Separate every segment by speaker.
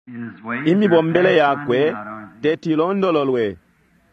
Speaker 1: His ways are
Speaker 2: Imibombele
Speaker 1: past
Speaker 2: yakwe
Speaker 1: finding out, aren't they?
Speaker 2: teti ilondololwe.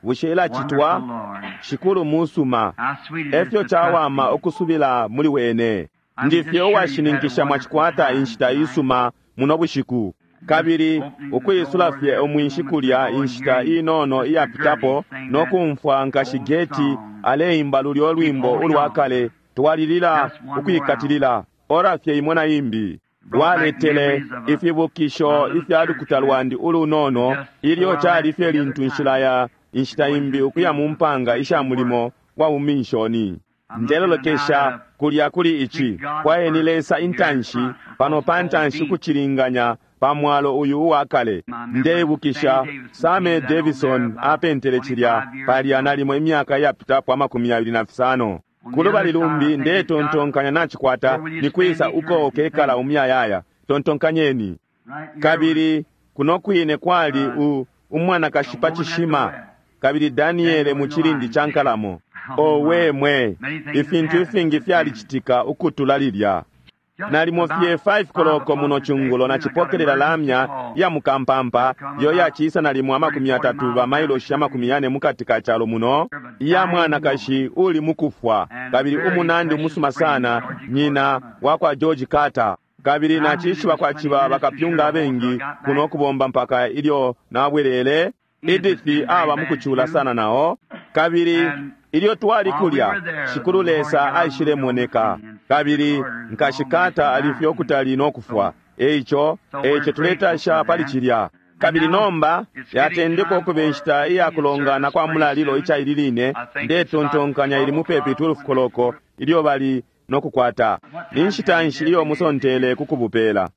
Speaker 2: Bushe ilacitwa?
Speaker 1: Wonderful Lord.
Speaker 2: Shikulu musuma.
Speaker 1: How sweet it is
Speaker 2: Efyo
Speaker 1: to trust
Speaker 2: cawama
Speaker 1: Him.
Speaker 2: ukusubila muli wene.
Speaker 1: I'm
Speaker 2: Ndi
Speaker 1: just
Speaker 2: fye
Speaker 1: sure you've had a
Speaker 2: uwashininkisha
Speaker 1: wonderful
Speaker 2: mwacikwata
Speaker 1: time
Speaker 2: inshita
Speaker 1: tonight.
Speaker 2: isuma muno bushiku.
Speaker 1: Just
Speaker 2: Kabili
Speaker 1: opening the
Speaker 2: ukwisula
Speaker 1: door
Speaker 2: fye
Speaker 1: there a few
Speaker 2: umwinshi
Speaker 1: moments
Speaker 2: kulya
Speaker 1: ago and
Speaker 2: inshita
Speaker 1: hearing
Speaker 2: inono
Speaker 1: Sister Gertie
Speaker 2: iyapitapo
Speaker 1: sing
Speaker 2: no
Speaker 1: that
Speaker 2: kumfwa nkashi
Speaker 1: old
Speaker 2: Geti
Speaker 1: song,
Speaker 2: aleimba lulyo
Speaker 1: Keep
Speaker 2: lwimbo
Speaker 1: Holding
Speaker 2: ulwa
Speaker 1: On.
Speaker 2: kale twalilila
Speaker 1: Just one more hour.
Speaker 2: ukwikatilila ora fye imo na imbi
Speaker 1: Brought back
Speaker 2: lwaletele
Speaker 1: memories of a, my
Speaker 2: ifibukisho
Speaker 1: little
Speaker 2: ifya
Speaker 1: church
Speaker 2: lukuta
Speaker 1: there
Speaker 2: lwandi ulunono
Speaker 1: just
Speaker 2: ilyo
Speaker 1: before I
Speaker 2: cali
Speaker 1: left
Speaker 2: fye
Speaker 1: the other
Speaker 2: lintu
Speaker 1: time
Speaker 2: nshila ya inshita
Speaker 1: to go into
Speaker 2: imbi
Speaker 1: the
Speaker 2: ukuya mu
Speaker 1: fields of
Speaker 2: mpanga isha
Speaker 1: mission work.
Speaker 2: mulimo wa buminshoni
Speaker 1: I'm looking now
Speaker 2: ndelolekesha
Speaker 1: to
Speaker 2: kulya kuli ici
Speaker 1: seek God
Speaker 2: kwayeni
Speaker 1: first
Speaker 2: lesa
Speaker 1: here in
Speaker 2: intanshi
Speaker 1: front
Speaker 2: pano
Speaker 1: across
Speaker 2: pa
Speaker 1: the old
Speaker 2: ntanshi
Speaker 1: beam.
Speaker 2: kucilinganya pa mwalo uyu uwa kale
Speaker 1: My memory,
Speaker 2: ndeibukisha
Speaker 1: Sammy Davidson
Speaker 2: Same
Speaker 1: painted that on there
Speaker 2: Davison
Speaker 1: about
Speaker 2: apentele cilya
Speaker 1: 25 years
Speaker 2: palya
Speaker 1: ago.
Speaker 2: nalimo imyaka iyapitapo amakumi yabili na fisano
Speaker 1: On the
Speaker 2: kulubali
Speaker 1: other side, I
Speaker 2: lumbi
Speaker 1: think it's got
Speaker 2: ndetontonkanya nacikwata
Speaker 1: where will you
Speaker 2: ni
Speaker 1: spend
Speaker 2: kwisa uko
Speaker 1: eternity?
Speaker 2: ukekala
Speaker 1: Think
Speaker 2: umuyayaya tontonkanyeni
Speaker 1: right here was
Speaker 2: kabili kuno kwine kwali u umwanakashi
Speaker 1: a
Speaker 2: pa
Speaker 1: woman at the
Speaker 2: cishima
Speaker 1: well,
Speaker 2: kabili Daniele
Speaker 1: Daniel
Speaker 2: mu
Speaker 1: in the
Speaker 2: cilindi
Speaker 1: lion's
Speaker 2: ca
Speaker 1: den.
Speaker 2: nkalamo
Speaker 1: Oh my.
Speaker 2: owe mwe
Speaker 1: Many things have
Speaker 2: ifintu
Speaker 1: happened
Speaker 2: ifingi
Speaker 1: since then.
Speaker 2: fyalicitika ukutula lilya
Speaker 1: Just
Speaker 2: nalimo fye
Speaker 1: about
Speaker 2: 5
Speaker 1: 5
Speaker 2: koloko muno
Speaker 1: o'clock this
Speaker 2: chungulo
Speaker 1: afternoon, I got an
Speaker 2: nacipokelela
Speaker 1: emergency
Speaker 2: lamya
Speaker 1: call
Speaker 2: ya mukampampa
Speaker 1: to come
Speaker 2: yo
Speaker 1: about
Speaker 2: yaciisa nalimo
Speaker 1: 30,
Speaker 2: amakumi
Speaker 1: 40
Speaker 2: yatatu
Speaker 1: miles down the
Speaker 2: bamailoshi amakumi
Speaker 1: country
Speaker 2: yane mukati ka calo muno
Speaker 1: of a
Speaker 2: iya
Speaker 1: dying woman
Speaker 2: mwanakashi uli mukufwa
Speaker 1: and a
Speaker 2: kabili
Speaker 1: very
Speaker 2: umunandi
Speaker 1: precious
Speaker 2: umusuma
Speaker 1: friend,
Speaker 2: sana
Speaker 1: Georgie Carter's
Speaker 2: nyina
Speaker 1: mother.
Speaker 2: wa kwa George Carter kabili
Speaker 1: And I knew there
Speaker 2: nacishiba
Speaker 1: was plenty
Speaker 2: kwaciba
Speaker 1: ministers here
Speaker 2: bakapyunga
Speaker 1: also. I
Speaker 2: abengi
Speaker 1: got
Speaker 2: kuno
Speaker 1: back.
Speaker 2: kubomba mpaka ilyo nabwelele
Speaker 1: Edith has
Speaker 2: Edith
Speaker 1: been very
Speaker 2: aba
Speaker 1: bad
Speaker 2: mukucula
Speaker 1: too.
Speaker 2: sana nao kabili
Speaker 1: And
Speaker 2: ilyo twali
Speaker 1: while we
Speaker 2: kulya
Speaker 1: were there, the
Speaker 2: shikulu
Speaker 1: Lord
Speaker 2: lesa
Speaker 1: God moved on the
Speaker 2: aishilemoneka
Speaker 1: scene and Sister
Speaker 2: kabili
Speaker 1: Carter is a long
Speaker 2: nkashi
Speaker 1: ways from
Speaker 2: Carter ali fye
Speaker 1: dying.
Speaker 2: ukutali no kufwa
Speaker 1: So,
Speaker 2: eico
Speaker 1: so we're
Speaker 2: eico
Speaker 1: grateful
Speaker 2: tuletasha
Speaker 1: for
Speaker 2: pali
Speaker 1: that.
Speaker 2: cilya
Speaker 1: And
Speaker 2: kabili
Speaker 1: now
Speaker 2: nomba
Speaker 1: it's getting
Speaker 2: yatendeka
Speaker 1: time
Speaker 2: ukuba
Speaker 1: for
Speaker 2: inshita iya
Speaker 1: communion
Speaker 2: kulongana
Speaker 1: service
Speaker 2: kwa
Speaker 1: pretty
Speaker 2: mulalilo
Speaker 1: soon.
Speaker 2: ica ili line
Speaker 1: I think it's about
Speaker 2: ndetontonkanya ili
Speaker 1: 12
Speaker 2: mupepi
Speaker 1: o'clock
Speaker 2: 12
Speaker 1: when they
Speaker 2: koloko ilyo bali no kukwata
Speaker 1: What
Speaker 2: ni
Speaker 1: time
Speaker 2: nshita
Speaker 1: have you
Speaker 2: nshi iyo
Speaker 1: designated?
Speaker 2: musontele kukubupela
Speaker 3: Any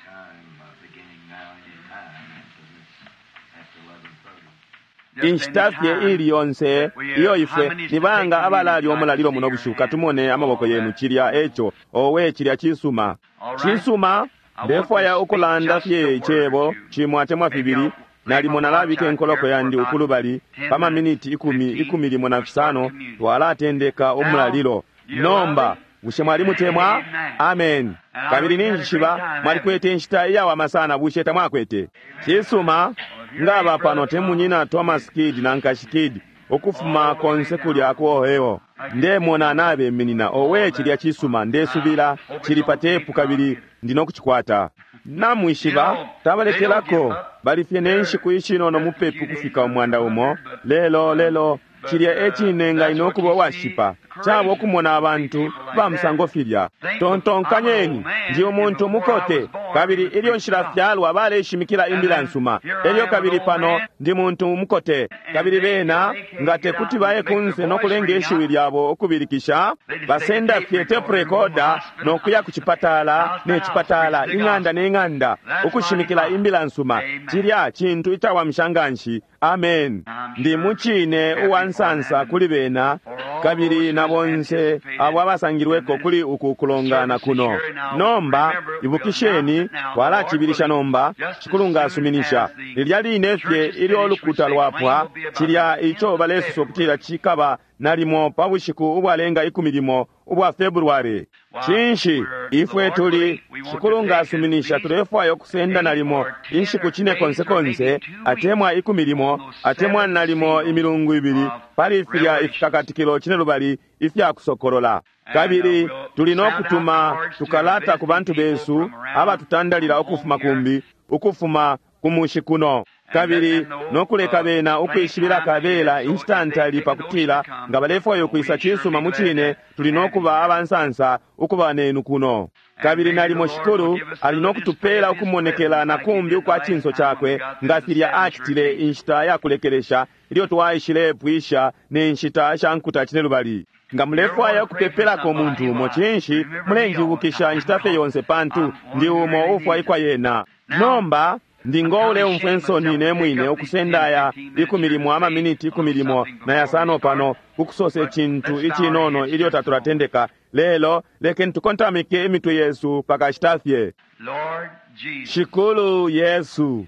Speaker 3: time, beginning now, any time, because it's after 11:30.
Speaker 1: Just any
Speaker 2: inshita fye
Speaker 1: time
Speaker 2: ili yonse
Speaker 1: that we
Speaker 2: iyo
Speaker 1: how
Speaker 2: ifwe
Speaker 1: many is
Speaker 2: ni
Speaker 1: to take
Speaker 2: banga
Speaker 1: communion
Speaker 2: abalalya
Speaker 1: tonight?
Speaker 2: umulalilo
Speaker 1: See
Speaker 2: muno
Speaker 1: your
Speaker 2: bushiku
Speaker 1: hands
Speaker 2: katumone
Speaker 1: and
Speaker 2: amaboko
Speaker 1: all
Speaker 2: yenu
Speaker 1: that.
Speaker 2: cilya eco owe cilya cisuma
Speaker 1: All right.
Speaker 2: cisuma
Speaker 1: I want to
Speaker 2: ndefwaya
Speaker 1: speak
Speaker 2: ukulanda
Speaker 1: just
Speaker 2: fye
Speaker 1: a word
Speaker 2: icebo
Speaker 1: or two.
Speaker 2: cimo atemwa
Speaker 1: Maybe
Speaker 2: fibili
Speaker 1: I'll lay my
Speaker 2: nalimo
Speaker 1: watch
Speaker 2: nalabika
Speaker 1: out
Speaker 2: enkoloko
Speaker 1: here for
Speaker 2: yandi
Speaker 1: about
Speaker 2: ukulubali
Speaker 1: 10
Speaker 2: pa
Speaker 1: minutes,
Speaker 2: maminiti ikumi
Speaker 1: 15
Speaker 2: ikumi limo na
Speaker 1: to start
Speaker 2: fisano
Speaker 1: communion.
Speaker 2: twalatendeka
Speaker 1: Now,
Speaker 2: umulalilo
Speaker 1: do you love
Speaker 2: nomba
Speaker 1: him?
Speaker 2: bushe mwalimutemwa
Speaker 1: Amen.
Speaker 2: amen
Speaker 1: And I
Speaker 2: kabili
Speaker 1: hope you had a great
Speaker 2: ninjishiba
Speaker 1: time, haven't you?
Speaker 2: mwalikwete inshita iyawama sana bushe tamwakwete cisuma
Speaker 1: Well, if you're
Speaker 2: ngaba
Speaker 1: ain't
Speaker 2: pano
Speaker 1: Brother
Speaker 2: te
Speaker 1: Tom,
Speaker 2: munyina Thomas Kidd na nkashi Kidd ukufuma
Speaker 1: all the way
Speaker 2: konse kulya
Speaker 1: down
Speaker 2: ku Ohio ndemona nabeminina owe
Speaker 1: all
Speaker 2: cilya
Speaker 1: that.
Speaker 2: cisuma
Speaker 1: I
Speaker 2: ndesubila
Speaker 1: hope it's
Speaker 2: cili pa
Speaker 1: on tape
Speaker 2: tepu
Speaker 1: and I'll
Speaker 2: kabili
Speaker 1: get it.
Speaker 2: ndino kucikwata
Speaker 1: You
Speaker 2: namwishiba
Speaker 1: know, they don't give
Speaker 2: tabalekelako
Speaker 1: up.
Speaker 2: bali fye ne
Speaker 1: They're
Speaker 2: nshiku ishinono
Speaker 1: just a
Speaker 2: mupepi
Speaker 1: few days
Speaker 2: kufika
Speaker 1: from
Speaker 2: umwanda umo
Speaker 1: 100, but
Speaker 2: lelo lelo
Speaker 1: but
Speaker 2: cilya ecinenga
Speaker 1: that's
Speaker 2: ino
Speaker 1: what
Speaker 2: kuba
Speaker 1: you see
Speaker 2: uwashipa caba
Speaker 1: courageous
Speaker 2: ukumona
Speaker 1: to see
Speaker 2: abantu
Speaker 1: people like
Speaker 2: ba
Speaker 1: that.
Speaker 2: musango filya
Speaker 1: Think of I'm an old
Speaker 2: tontonkanyeni
Speaker 1: man,
Speaker 2: ndi
Speaker 1: and
Speaker 2: umuntu
Speaker 1: before I
Speaker 2: mukote
Speaker 1: was born,
Speaker 2: kabili
Speaker 1: we was
Speaker 2: ilyo
Speaker 1: preaching
Speaker 2: nshilafyalwa baleshimikila
Speaker 1: And
Speaker 2: imbila
Speaker 1: then
Speaker 2: nsuma
Speaker 1: here I
Speaker 2: elyo
Speaker 1: am, an
Speaker 2: kabili
Speaker 1: old
Speaker 2: pano
Speaker 1: man,
Speaker 2: ndi muntu umukote
Speaker 1: and
Speaker 2: kabili
Speaker 1: they, if
Speaker 2: bena
Speaker 1: they can't
Speaker 2: nga
Speaker 1: get
Speaker 2: te
Speaker 1: out
Speaker 2: kuti
Speaker 1: and
Speaker 2: baye
Speaker 1: make their
Speaker 2: kunse no
Speaker 1: voice
Speaker 2: kulenga
Speaker 1: ring
Speaker 2: ishiwi
Speaker 1: out,
Speaker 2: lyabo ukubilikisha
Speaker 1: they just take a
Speaker 2: basenda
Speaker 1: tape
Speaker 2: fye tape
Speaker 1: recorder and go from
Speaker 2: recorder
Speaker 1: hospital
Speaker 2: no kuya ku cipatala
Speaker 1: house to
Speaker 2: ne
Speaker 1: house,
Speaker 2: cipatala
Speaker 1: preach the
Speaker 2: ing'anda
Speaker 1: gospel.
Speaker 2: ne ng'anda
Speaker 1: That's mighty
Speaker 2: ukushimikila
Speaker 1: fine.
Speaker 2: imbila nsuma
Speaker 1: Amen.
Speaker 2: cilya cintu icawamisha nganshi amen
Speaker 1: I'm
Speaker 2: ndi
Speaker 1: sure
Speaker 2: mucine
Speaker 1: happy
Speaker 2: uwa
Speaker 1: for
Speaker 2: nsansa
Speaker 1: them and
Speaker 2: kuli bena
Speaker 1: for all
Speaker 2: kabili
Speaker 1: those
Speaker 2: na
Speaker 1: who
Speaker 2: bonse
Speaker 1: anticipated
Speaker 2: abo
Speaker 1: the
Speaker 2: abasangilweko kuli uku kulongana
Speaker 1: services
Speaker 2: kuno
Speaker 1: here. Now,
Speaker 2: nomba
Speaker 1: remember, we'll announce
Speaker 2: ibukisheni
Speaker 1: it now, the Lord
Speaker 2: twalacibilisha
Speaker 1: willing,
Speaker 2: nomba
Speaker 1: just as
Speaker 2: shikulu nga
Speaker 1: soon
Speaker 2: asuminisha
Speaker 1: as the
Speaker 2: lilya line fye
Speaker 1: church is
Speaker 2: ilyo
Speaker 1: finished, which
Speaker 2: ulukuta
Speaker 1: they claim
Speaker 2: lwapwa
Speaker 1: will be about the
Speaker 2: cilya
Speaker 1: 10th
Speaker 2: ico
Speaker 1: of
Speaker 2: balesosa
Speaker 1: February.
Speaker 2: ukutila cikaba nalimo pa bushiku ubwalenga ikumi limo ubwa February
Speaker 1: Why,
Speaker 2: cinshi
Speaker 1: we're, the
Speaker 2: ifwe
Speaker 1: Lord
Speaker 2: tuli
Speaker 1: willing, we want to
Speaker 2: shikulu nga
Speaker 1: take at
Speaker 2: asuminisha
Speaker 1: least
Speaker 2: tulefwaya ukusenda
Speaker 1: 8
Speaker 2: nalimo
Speaker 1: or 10
Speaker 2: inshiku
Speaker 1: or
Speaker 2: cine
Speaker 1: days
Speaker 2: konse
Speaker 1: or maybe
Speaker 2: konse
Speaker 1: 2 weeks
Speaker 2: atemwa ikumi limo
Speaker 1: on those
Speaker 2: atemwa
Speaker 1: 7
Speaker 2: nalimo
Speaker 1: seals
Speaker 2: imilungu ibili
Speaker 1: of
Speaker 2: pali filya
Speaker 1: Revelations.
Speaker 2: ifikakatikilo cine lubali ifya kusokolola
Speaker 1: And
Speaker 2: kabili
Speaker 1: we'll
Speaker 2: tuli no
Speaker 1: sound out
Speaker 2: kutuma
Speaker 1: cards to the
Speaker 2: tukalata ku
Speaker 1: visiting
Speaker 2: bantu
Speaker 1: people
Speaker 2: besu
Speaker 1: from around
Speaker 2: abatutandalila
Speaker 1: from home
Speaker 2: ukufuma
Speaker 1: here
Speaker 2: kumbi ukufuma ku mushi kuno
Speaker 1: and let
Speaker 2: kabili
Speaker 1: them know
Speaker 2: no kuleka bena
Speaker 1: plenty
Speaker 2: ukwishibila
Speaker 1: time ahead.
Speaker 2: kabela
Speaker 1: So if
Speaker 2: inshita
Speaker 1: they
Speaker 2: ntali
Speaker 1: take a notion
Speaker 2: pakutila
Speaker 1: to come,
Speaker 2: nga balefwaya
Speaker 1: we'll
Speaker 2: ukwisa
Speaker 1: sure
Speaker 2: cisuma
Speaker 1: be
Speaker 2: mu
Speaker 1: glad
Speaker 2: cine
Speaker 1: to
Speaker 2: tuli no
Speaker 1: have you
Speaker 2: kuba
Speaker 1: here.
Speaker 2: abansansa ukuba nenu kuno
Speaker 1: And
Speaker 2: kabili
Speaker 1: maybe the
Speaker 2: nalimo
Speaker 1: Lord will
Speaker 2: shikulu
Speaker 1: give us
Speaker 2: ali no
Speaker 1: another display
Speaker 2: kutupeela
Speaker 1: of His
Speaker 2: ukumonekela
Speaker 1: presence
Speaker 2: na
Speaker 1: like He
Speaker 2: kumbi
Speaker 1: did the
Speaker 2: ukwa
Speaker 1: last
Speaker 2: cinso
Speaker 1: time when we
Speaker 2: cakwe
Speaker 1: got
Speaker 2: nga
Speaker 1: through the
Speaker 2: filya
Speaker 1: seven
Speaker 2: acitile
Speaker 1: church ages.
Speaker 2: inshita ya kulekelesha ilyo twaishilepwisha ne nshita sha nkuta cine lubali nga
Speaker 1: You ever
Speaker 2: mulefwaya
Speaker 1: want to pray for
Speaker 2: ukupepelako
Speaker 1: somebody?
Speaker 2: umuntu umo
Speaker 1: Why,
Speaker 2: cinshi
Speaker 1: remember me all the
Speaker 2: mulenjibukisha
Speaker 1: time
Speaker 2: inshita fye
Speaker 1: because
Speaker 2: yonse pantu
Speaker 1: I'm
Speaker 2: ndi
Speaker 1: one who
Speaker 2: umo
Speaker 1: really needs
Speaker 2: ufwaikwa
Speaker 1: it.
Speaker 2: yena
Speaker 1: Now,
Speaker 2: nomba ndi
Speaker 1: I'm
Speaker 2: ngo
Speaker 1: kind of
Speaker 2: uleumfwa
Speaker 1: ashamed
Speaker 2: ensoni
Speaker 1: myself
Speaker 2: ne
Speaker 1: to take
Speaker 2: mwine
Speaker 1: up these 10,
Speaker 2: ukusenda aya
Speaker 1: 15 minutes
Speaker 2: ikumi
Speaker 1: here to
Speaker 2: limo
Speaker 1: say
Speaker 2: amaminiti
Speaker 1: a
Speaker 2: ikumi
Speaker 1: little
Speaker 2: limo
Speaker 1: something
Speaker 2: na
Speaker 1: before we
Speaker 2: yasano
Speaker 1: start,
Speaker 2: pano kukusosa
Speaker 1: but
Speaker 2: icintu
Speaker 1: let's bow our
Speaker 2: icinono
Speaker 1: heads
Speaker 2: ilyo
Speaker 1: just a moment.
Speaker 2: tatulatendeka lelo lekeni tukontamike imitwe yesu pakashita fye
Speaker 1: Lord Jesus,
Speaker 2: shikulu yesu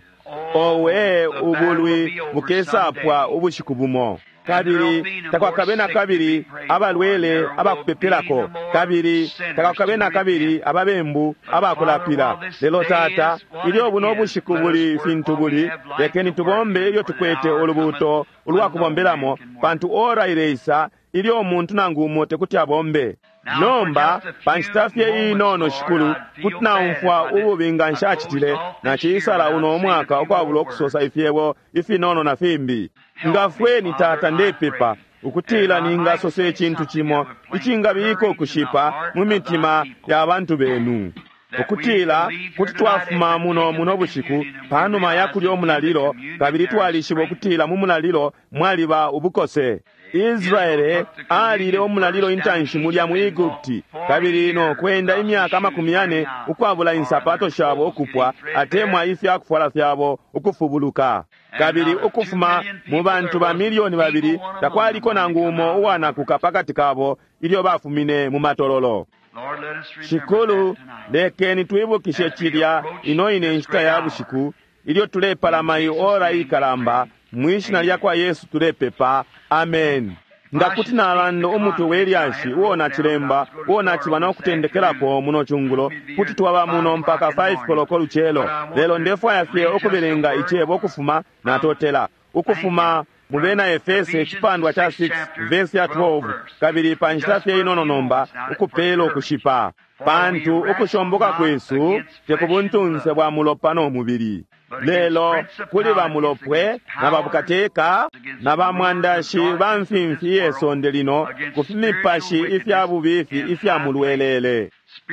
Speaker 1: oh,
Speaker 2: owe
Speaker 1: the battle will
Speaker 2: ubulwi
Speaker 1: be over
Speaker 2: bukesapwa
Speaker 1: someday.
Speaker 2: ubushiku bumo
Speaker 1: And
Speaker 2: Kabili takwakabe na kabili abalwele abakupepelako, kabili takwakabe na kabili ababembu abakulapila. Lelo Tata, ilyo buno bushiku buli fintu buli, lekeni tubombe ilyo tukwete ulubuuto ulwakubombelamo, pantu ora ileisa ilyo umuntu nangu umo tekuti abombe. Nomba pa nshita fye inono, Shikulu, kuti naumfwa ububi nga nshacitile naciisala uno mwaka ukwabula ukusosa ifyebo ifinono na fimbi. Ngafweni Tata, ndepepa ukutila ningasosa icintu cimo icingabika ukushipa mu mitima ya bantu benu, ukutila kuti twafuma muno muno bushiku panuma ya kulya umulalilo, kabili twalishiba ukutila mu mulalilo mwaliba ubukose. Israele alile umulalilo intanshi mulya mu Egupti, kabili no kwenda imyaka 40 ukwabula insapato shabo ukupwa atemwa ifya kufwala fyabo ukufubuluka. Kabili ukufuma mu bantu ba 2 million takwaliko nangu umo uwanakuka pakati kabo ilyo bafumine mu matololo.
Speaker 1: Lord, let us remember
Speaker 2: Shikulu,
Speaker 1: that tonight.
Speaker 2: lekeni twibukishe cilya ino ine nshita ya bushiku ilyo tulepalama iora ikalamba. Mwishina lya kwa Yesu tulepepa, amen. Nga kuti nalanda umutwe we lyashi uo nacilemba uo naciba no kutendekelako muno cungulo, kuti twaba muno mpaka 5 koloko lucelo. Lelo ndefwaya fye ukubelenga icebo ukufuma natotela ukufuma mu bena Efese icipandwa cha 6 vesi ya 12, kabili pa nshita fye inono nomba ukupela ukushipa, pantu ukushomboka kwesu te ku buntunse bwa mulopa no mubili, lelo kuli bamulopwe na babukateka na bamwandashi ba mfimfi ye sonde lino, ku fimipashi ifya bubifi ifya mulwelele,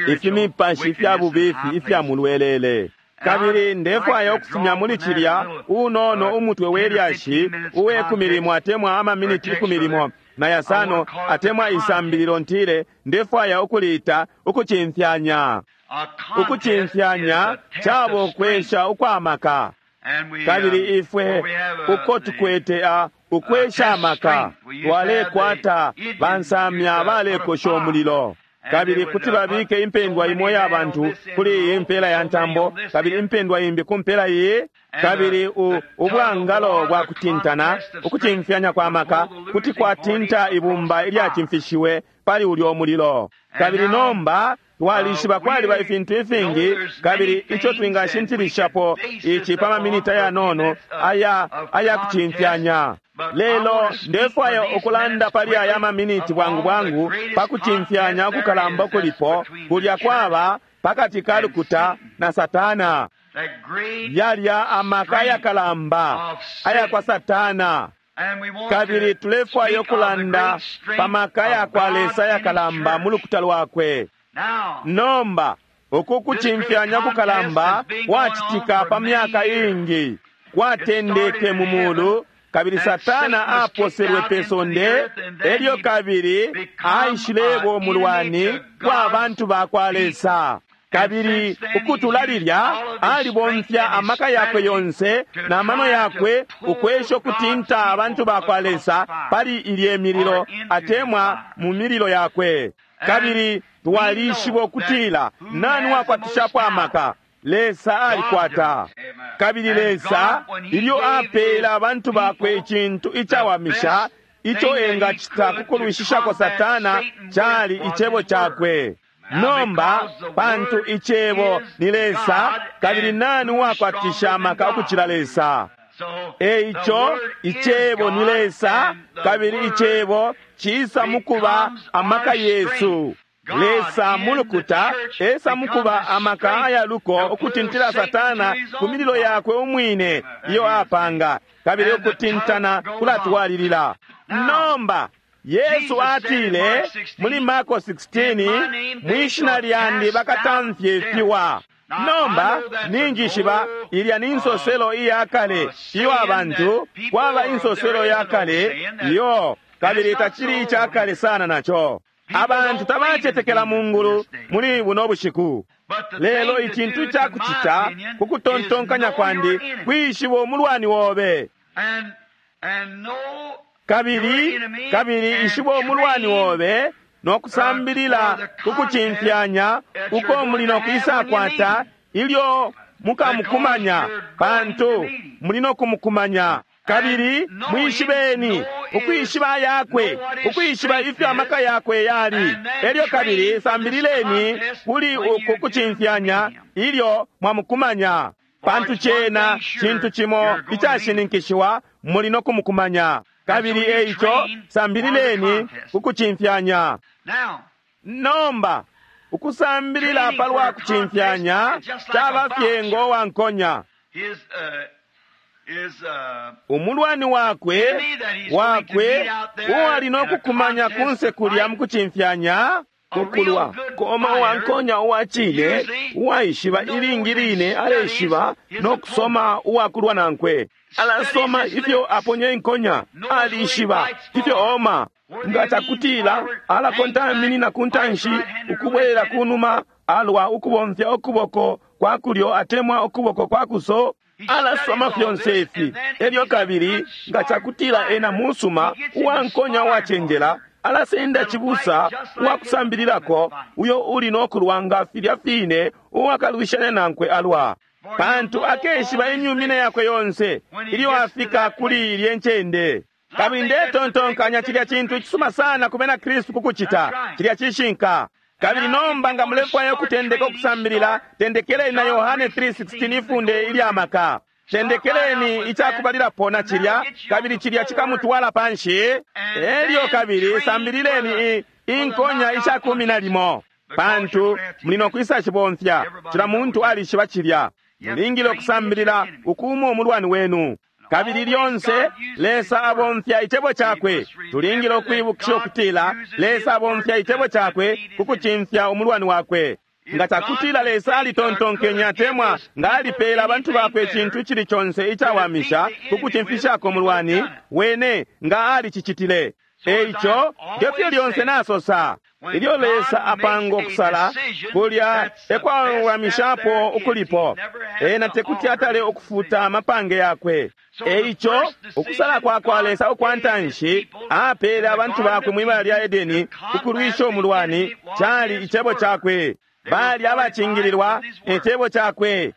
Speaker 2: ifimipashi ifya bubifi ifya mulwelele. Kabili ndefwaya ukufumya muli cilya unono umutwe we lyashi uwe 10 atemwa amaminiti 15 atemwa isambililo ntile ndefwaya ukuliita ukucimfyanya.
Speaker 1: A contest
Speaker 2: Ukucimfyanya
Speaker 1: is a test
Speaker 2: cabo
Speaker 1: of strength.
Speaker 2: kwesha ukwamaka.
Speaker 1: And we,
Speaker 2: Kabili ifwe
Speaker 1: where we have,
Speaker 2: uko
Speaker 1: the-
Speaker 2: tukwete a ukwesha amaka, twalekwata bansamya balekosha umulilo, kabili kuti babike impendwa imo ya bantu kuli iyi mpela ya ntambo, kabili impendwa imbi ku mpela iyi, kabili ubwangalo bwa kutintana, ukucimfyanya kwa maka kuti kwatinta ibumba ilyacimfishiwe pali ulyo mulilo. Kabili nomba twalishiba kwaliba ifintu ifingi, kabili ico twingashintilishapo ici pa maminita yanono aya aya kucimfyanya. Lelo ndefwaya ukulanda pali aya maminiti bwangu bwangu pa kucimfyanya ukukalamba ukulipo kulya kwaba pakati ka lukuta na Satana.
Speaker 1: that great
Speaker 2: Yalya amaka yakalamba aya kwa Satana.
Speaker 1: And we want
Speaker 2: Kabili
Speaker 1: to
Speaker 2: tulefwaya
Speaker 1: speak of the
Speaker 2: ukulanda
Speaker 1: great strength
Speaker 2: pa maka ya
Speaker 1: of
Speaker 2: kwa
Speaker 1: God
Speaker 2: Lesa
Speaker 1: in His
Speaker 2: yakalamba mu
Speaker 1: church.
Speaker 2: lukuta lwakwe.
Speaker 1: Now,
Speaker 2: Nomba uku kucimfyanya kukalamba kwacitika pa myaka iingi, kwatendeke mu mulu, kabili Satana aposelwe pe sonde, elyo kabili aishileba umulwani kwa bantu ba kwa Lesa. Kabili ukutula lilya alibomfya amaka yakwe yonse na mano yakwe ukwesha ukutinta abantu ba kwa Lesa pali ilye mililo atemwa mu mililo yakwe. Kabili twalishiba ukutila nani wakwatishapo amaka? Lesa alikwata. Kabili Lesa ilyo apeela abantu bakwe icintu icawamisha ico engacita ku kulwishishako Satana cali icebo cakwe. Nomba pantu icebo ni Lesa, kabili nani uwakwatisha amaka ukucila Lesa?
Speaker 1: so
Speaker 2: E
Speaker 1: the
Speaker 2: ico
Speaker 1: Word is
Speaker 2: icebo ni
Speaker 1: God,
Speaker 2: Lesa,
Speaker 1: and the
Speaker 2: kabili
Speaker 1: Word
Speaker 2: icebo ciisa mukuba
Speaker 1: becomes
Speaker 2: amaka
Speaker 1: our
Speaker 2: yesu.
Speaker 1: strength. God
Speaker 2: Lesa
Speaker 1: in
Speaker 2: mu lukuta
Speaker 1: the church
Speaker 2: esa mukuba
Speaker 1: becomes
Speaker 2: amaka
Speaker 1: strength
Speaker 2: aya luko
Speaker 1: to pull
Speaker 2: ukutintila
Speaker 1: Satan
Speaker 2: Satana
Speaker 1: to his
Speaker 2: ku
Speaker 1: own
Speaker 2: mililo
Speaker 1: fire.
Speaker 2: yakwe umwine iyo apanga, kabili
Speaker 1: And the
Speaker 2: ukutintana
Speaker 1: tug goes
Speaker 2: kulatwalilila.
Speaker 1: Now,
Speaker 2: Nomba Yesu
Speaker 1: Jesus said in
Speaker 2: atile
Speaker 1: Mark 16,
Speaker 2: muli Marko 16,
Speaker 1: "In my name they
Speaker 2: mwishina
Speaker 1: shall
Speaker 2: lyandi
Speaker 1: cast
Speaker 2: bakatamfya
Speaker 1: out
Speaker 2: ifiwa.
Speaker 1: devils." Now,
Speaker 2: Nomba
Speaker 1: I know that's
Speaker 2: ninjishiba
Speaker 1: an old,
Speaker 2: ilya ni nsoselo iya kale iyo
Speaker 1: saying
Speaker 2: abantu
Speaker 1: that people
Speaker 2: kwaba
Speaker 1: are-
Speaker 2: insoselo
Speaker 1: there is
Speaker 2: ya
Speaker 1: an old
Speaker 2: kale
Speaker 1: saying that
Speaker 2: iyo kabili
Speaker 1: it's not
Speaker 2: tacili
Speaker 1: so
Speaker 2: ica kale sana naco.
Speaker 1: People
Speaker 2: Abantu
Speaker 1: don't
Speaker 2: tabacetekela
Speaker 1: believe
Speaker 2: mu
Speaker 1: in
Speaker 2: ngulu
Speaker 1: this day.
Speaker 2: muli buno bushiku.
Speaker 1: But the
Speaker 2: Lelo
Speaker 1: thing to
Speaker 2: icintu
Speaker 1: do,
Speaker 2: ica
Speaker 1: to my
Speaker 2: kucita
Speaker 1: opinion,
Speaker 2: ku kutontonkanya
Speaker 1: is know
Speaker 2: kwandi
Speaker 1: your enemy.
Speaker 2: kwishiba umulwani wobe.
Speaker 1: And know
Speaker 2: Kabili
Speaker 1: your enemy
Speaker 2: kabili
Speaker 1: and
Speaker 2: ishiba umulwani
Speaker 1: train
Speaker 2: wobe no kusambilila
Speaker 1: for the
Speaker 2: kukucimfyanya
Speaker 1: contest that you're
Speaker 2: uko
Speaker 1: going
Speaker 2: muli
Speaker 1: to
Speaker 2: no
Speaker 1: have
Speaker 2: kwisakwata
Speaker 1: when you
Speaker 2: ilyo mukamukumanya,
Speaker 1: Because you're going
Speaker 2: pantu
Speaker 1: to meet him.
Speaker 2: muli no kumukumanya. Kabili mwishibeni, ukwishiba yakwe, ukwishiba ifyo amaka yakwe yali. Elyo kabili sambilileni kuli uku kucimfyanya ilyo mwamukumanya, pantu cena cintu cimo icashininkishiwa, muli no kumukumanya. Kabili eico sambilileni kukucimfyanya. Nomba ukusambilila palwa kucimfyanya caba fye ngo wankonya. Umulwani wakwe uwali no kukumanya kunse kulya mukucimfyanya kukulwa koma uwankonya uwacine uwaishiba ilingi line aleshiba no kusoma uwakulwa nankwe. Alasoma ifyo aponye inkonya, alishiba ifyo oma. Nga cakutila alakontaminina ku ntanshi ukubwelela kunuma, alwa ukubomfya ukuboko kwa kulyo atemwa ukuboko kwa kuso. Alasoma fyonse ifi. Elyo kabili nga cakutila ena musuma uwankonya uwacenjela, alasenda cibusa uwakusambililako uyo uli no kulwa nga filya fine uwakalwishanya nankwe alwa, pantu akeshiba imyumine yakwe yonse ilyo afika kuli ilye ncende. Kabili ndetontonkanya cilya cintu cisuma sana ku bena Kristu kukucita cilya cishinka. Kabili nomba nga mulefwaya ukutendeka ukusambilila, tendekeleni na Yohane 3:16, ifunde ilya maka. Tendekeleni icakubalilapo na cilya, kabili cilya cikamutwala panshi. Elyo kabili sambilileni inkonya isha 11, pantu muli no kwisa cibomfya. Cila muntu alishiba cilya. Mulingile ukusambilila ukuuma umulwani wenu. Kabili lyonse Lesa abomfya icebo cakwe. Tulingile ukwibukisha ukutila Lesa abomfya icebo cakwe kukucimfya umulwani wakwe. Nga cakutila Lesa alitontonkenya atemwa nga alipeela abantu bakwe icintu icili conse icawamisha kukucimfishako umulwani wene, nga alicicitile. Eico ngefyo lyonse nasosa, ilyo Lesa apanga ukusala kulya ekwawamishapo ukulipo, ena tekuti atale ukufuta amapange yakwe. Eico ukusala kwa kwa Lesa ukwa ntanshi apeele abantu bakwe mwibala lya Edeni ukulwisha umulwani cali icebo cakwe. Bali abacingililwa icebo cakwe.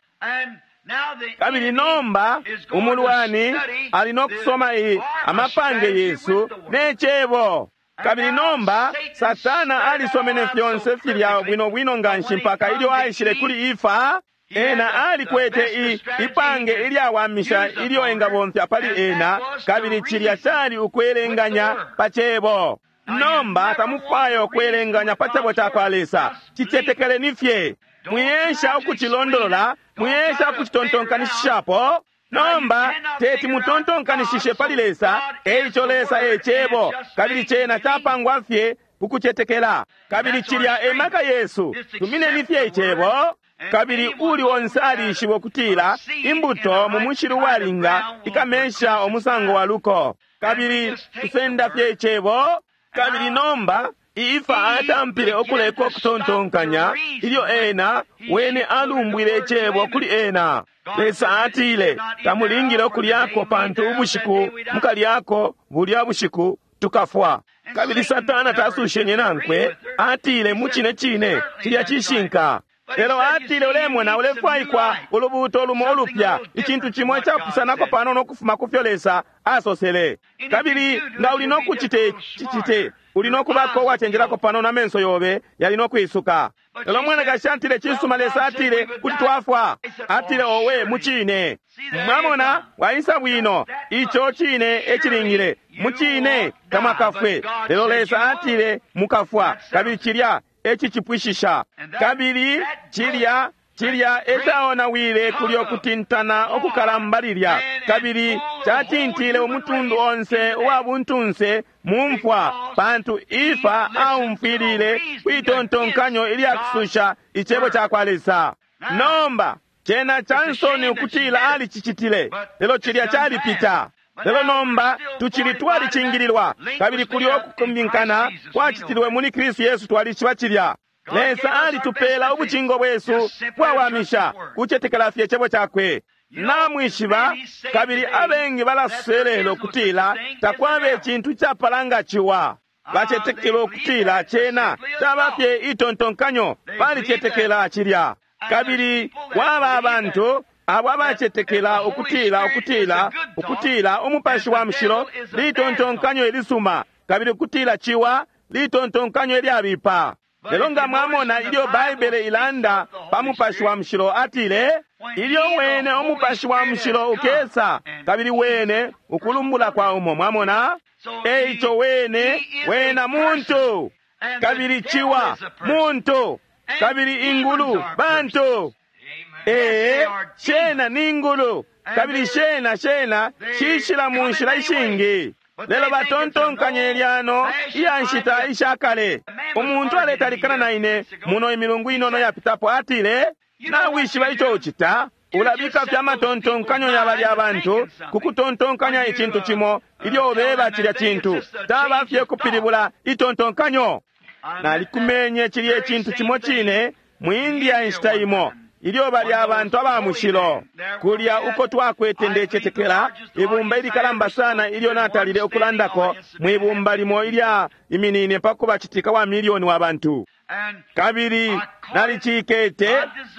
Speaker 2: Kabili nomba umulwani ali no kusoma amapange yesu ne cebo. Kabili nomba Satana alisomene fyonse filya bwino bwino nganshi mpaka ilyo aishile kuli Ifa, ena alikwete ipange ilyawamisha ilyo engabomfya pali ena, kabili cilya cali ukwelenganya pa cebo. Nomba tamufwaya ukwelenganya pa cebo ca kwa Lesa, cicetekeleni fye. Mwiyesha ukucilondolola, mwiyesha ukucitontonkanishishapo. Nomba teti mutontonkanishishe pali Lesa, eico Lesa e cebo, kabili cena capangwa fye kukucetekela. Kabili cilya e maka yesu, tumineni fye icebo. Kabili uli onse alishiba ukutila imbuto mu mushili uwalinga ikamesha umusango wa luko. Kabili tusenda fye icebo. Kabili nomba Ifa atampile ukuleka ukutontonkanya ilyo ena wene alumbwile icebo kuli ena. Lesa atile tamulingile ukulyako, pantu ubushiku mukalyako bulya bushiku tukafwa. Kabili Satana tasushenye nankwe, atile mu cine cine cilya cishinka. Lelo atile ulemona ulefwaikwa ulubuuto lumo ulupya, icintu cimo icapusanako panono ukufuma ku fyo Lesa asosele. Kabili nga uli no kucite cicite, uli no kubako uwacenjelako panono, amenso yobe yali no kwisuka. Lelo mwanakashi atile cisuma, Lesa atile kuti twafwa. Atile owe mucine. Mwamona waisa bwino, ico cine ecilingile mucine tamwakafwe. Lelo Lesa atile mukafwa, kabili cilya ecicipwishisha. Kabili cilya ecaonawile kulyo kutintana okukalamba lilya, kabili catintile umutundu onse uwa buntunse mu mfwa, pantu Ifa aumfwilile kwitontonkanyo ilyakususha icebo ca kwa Lesa. Nomba cena cansoni ukutila alicicitile, lelo cilya calipita. Lelo nomba tucili twalicingililwa, kabili kulyo okukumbinkana kwacitilwe muli Kristu Yesu, twalishiba cilya. Lesa alitupela ubucingo bwesu bwawamisha, kucetekela fye icebo cakwe. Namwishiba, kabili abengi balasoselelo kutila takwaba icintu icapala ciwa. Bacetekela ukutila cena caba fye itontonkanyo, balicetekela cilya. Kabili kwaba abantu Abo abacetekela ukutila ukutila ukutila Umupashi wa Mushilo litontonkanyo ilisuma, kabili ukutila ciwa litontonkanyo ilyabipa. Lelo nga mwamona ilyo Baibele ilanda pa Mupashi wa Mushilo, atile ilyo wene Umupashi wa Mushilo ukesa, kabili wene ukulumbula kwa umo. Mwamona? Eico wene wena muntu, kabili ciwa muntu, kabili ingulu bantu. Ee, shena ni ngulu, kabili shena shena shishila mu nshila ishingi. Lelo batontonkanye lyano iya nshita isha kale. Umuntu aletalikana na ine muno imilungu inono yapitapo, atile, nawishiba ico ucita? Ulabika fye amatontonkanyo ya balya bantu ku kutontonkanya icintu cimo ilyo ubeba cilya cintu. Taba fye kupilibula itontonkanyo. Nalikumenye cilya icintu cimo cine mu India inshita imo, ilyo balya abantu aba mushilo kulya uko twakwete, ndecetekela ibumba ilikalamba sana ilyo natalile ukulandako mwibumba limo ilya iminine pa kubacitika wa milioni wa bantu. Kabili nalicikete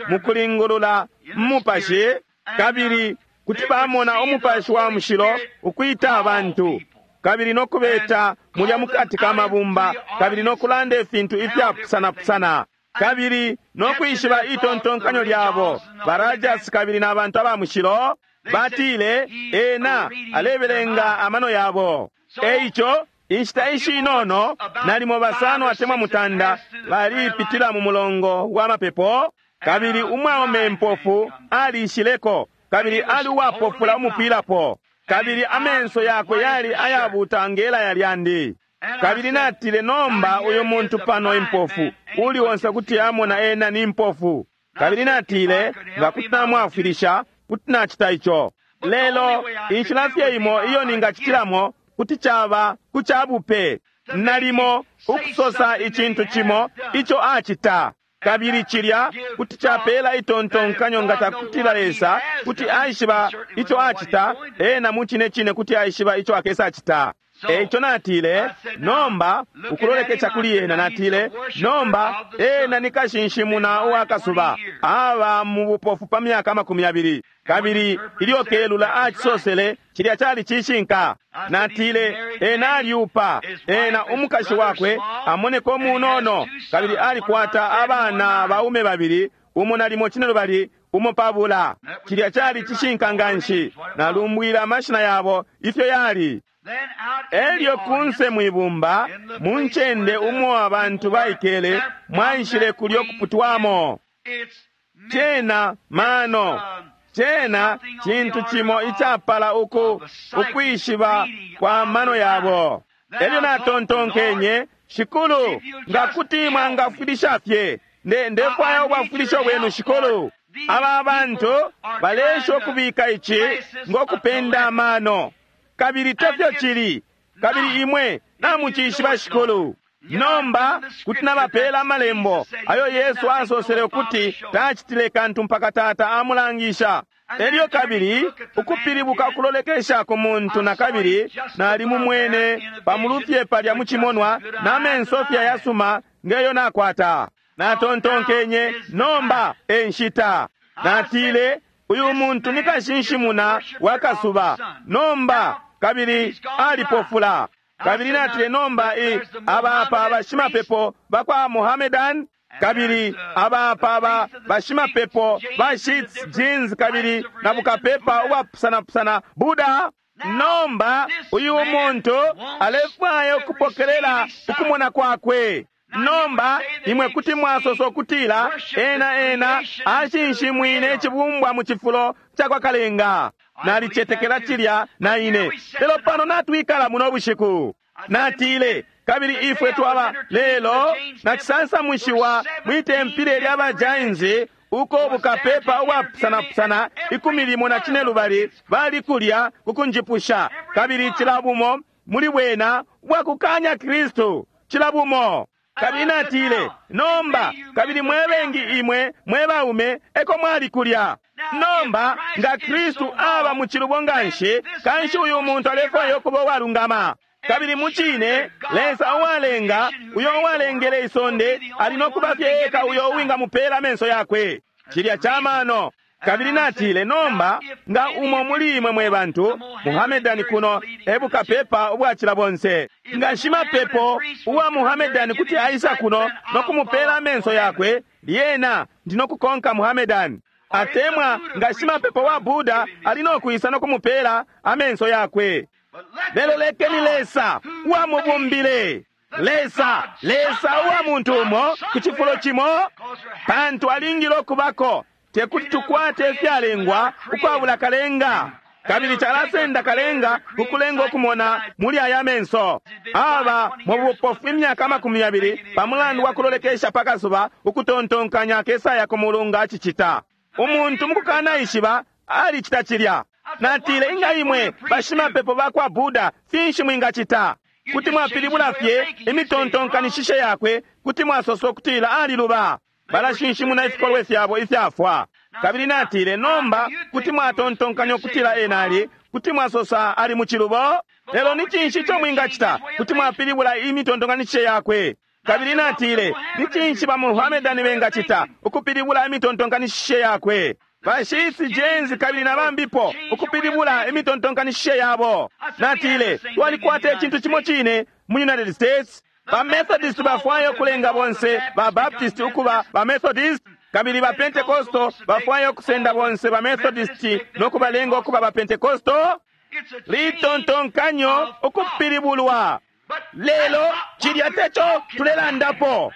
Speaker 2: mukulingulula mumupashi, kabili kuti bamona Umupashi wa Mushilo ukwita abantu kabili nokubeta mulya mukati ka mabumba, kabili nokulanda ifintu ifyapusanapusana, kabili nokwishiba itontonkanyo lyabo. Barajas kabili na bantu aba mushilo batile ena alebelenga amano yabo. Eico inshita ishinono nalimo basano atemwa mutanda balipitila mu mulongo wa mapepo, kabili umwaume impofu alishileko, kabili ali uwapofula umupwilapo, kabili amenso yakwe yali ayabuta ngela yalyandi. Kabili natile, nomba uyu muntu pano impofu, uli onse kuti amona ena ni mpofu. Kabili natile, nga kuti namwafwilisha, kuti nacita ico. Lelo inshila fye imo iyo ningacitilamo kuti caba ku cabupe, nalimo ukusosa icintu cimo ico acita, kabili cilya kuti capela itontonkanyo nga cakutila Lesa kuti aishiba ico acita, ena mu cine cine kuti aishiba ico akesa acita. Eico natile, nomba ukulolekesha kuli ena, natile, nomba ena ni kashinshimuna uwa kasuba, aba mu bupofu pa myaka 20. Kabili ilyo kelula acisosele, cilya cali cishinka. Natile, ena alyupa, ena umukashi wakwe amoneka umunono, kabili alikwata abana baume babili, umo nalimo 12, umo pabula. Cilya cali cishinka nganshi. Nalumbwile amashina yabo ifyo yali. Elyo kunse mwibumba, mu ncende umo abantu baikele, mwaishile kulyo kuputwamo. Cena mano, cena cintu cimo icapala uku ukwishiba kwa mano yabo. Elyo natontonkenye, Shikulu, nga kuti mwangafwilisha fye, ndefwaya ubwafwilisho bwenu, Shikulu. Aba bantu balesha ukubika ici ngokupenda amano, kabili tefyo cili, kabili imwe namucishiba, Shikulu. Nomba kuti nabapela amalembo ayo Yesu asosele ukuti tacitile kantu mpaka Tata amulangisha. Elyo kabili ukupilibuka ukulolekesha ku muntu na kabili nalimumwene pamulufye palya mucimonwa na menso fye ayasuma ngeyo nakwata. Natontonkenye, nomba e nshita. Natile, uyu muntu ni kashinshimuna wa kasuba, nomba kabili alipofula. Kabili natile, nomba abapa bashimapepo bakwa Mohammedan, kabili abapa ba bashimapepo ba Shits Jeans, kabili na bukapepa ubwapusanapusana Buddha. Nomba uyu muntu alefwaya ukupokelela ukumona kwakwe. Nomba imwe kuti mwasosa ukutila ena ena ashinshimwine icibumbwa mu cifulo cakwa Kalenga. Nalicetekela cilya na ine, lelo pano natwikala muno bushiku. Natile, kabili ifwe twaba lelo nacisansamushiwa mwitempile lya bajainzi uko bukapepa ubwapusanapusana 15 bali kulya kukunjipusha, kabili cila bumo muli bwena bwakukanya Kristu, cila bumo. Kabili natile, nomba kabili mwebengi imwe mwe baume eko mwali kulya. Nomba nga Kristu aba mu cilubo nganshi, kanshi uyu muntu alefwaya ukuba uwalungama. Kabili mucine Lesa uwalenga, uyo uwalengele isonde, ali no kuba fye eka uyo uwingamupela amenso yakwe. Cilya camano. Kabili natile, nomba nga umo muli imwe mwe bantu Muhamedani kuno ebukapepa ubwacila bonse, nga shimapepo uwa Muhamedani kuti aisa kuno no kumupela amenso yakwe, lyena ndi no kukonka Muhamedani. Atemwa nga shimapepo wa Buddha ali no kwisa no kumupela amenso yakwe. Lelo lekeni Lesa uwamubumbile, Lesa, Lesa uwa muntu umo ku cifulo cimo, pantu alingile ukubako. Tekuti tukwate ifyalengwa ukwabula kalenga, kabili calasenda kalenga kukulenga ukumona muli aya menso. Aba mu bupofu imyaka 20 pa mulandu wa kulolekesha pakasuba ukutontonkanya kesaya ku mulunga acicita. Umuntu mukukanaishiba alicita cilya. Natile, inga imwe bashimapepo ba kwa Buddha finshi mwingacita? Kuti mwapilibula fye imitontonkanishishe yakwe, kuti mwasosa ukutila aliluba. Balashinshimuna ifikolwe fyabo ifyafwa. Kabili natile, nomba kuti mwatontonkanya ukutila ena ali, kuti mwasosa ali mu cilubo, lelo ni cinshi ico mwingacita? Kuti mwapilibula imitontonkanishishe yakwe. Kabili natile, ni cinshi ba Muhamedani bengacita ukupilibula imitontonkanishishe yakwe? Bashisi jenzi kabili na bambipo ukupilibula imitontonkanishishe yabo. Natile, twalikwata icintu cimo cine mu United States. Ba Methodist bafwaya ukulenga bonse ba Baptist ukuba ba Methodist, kabili ba Pentecostal bafwaya ukusenda bonse ba Methodist no kubalenga ukuba ba Pentecostal. Litontonkanyo ukupilibulwa. Lelo cilya teco tulelandapo.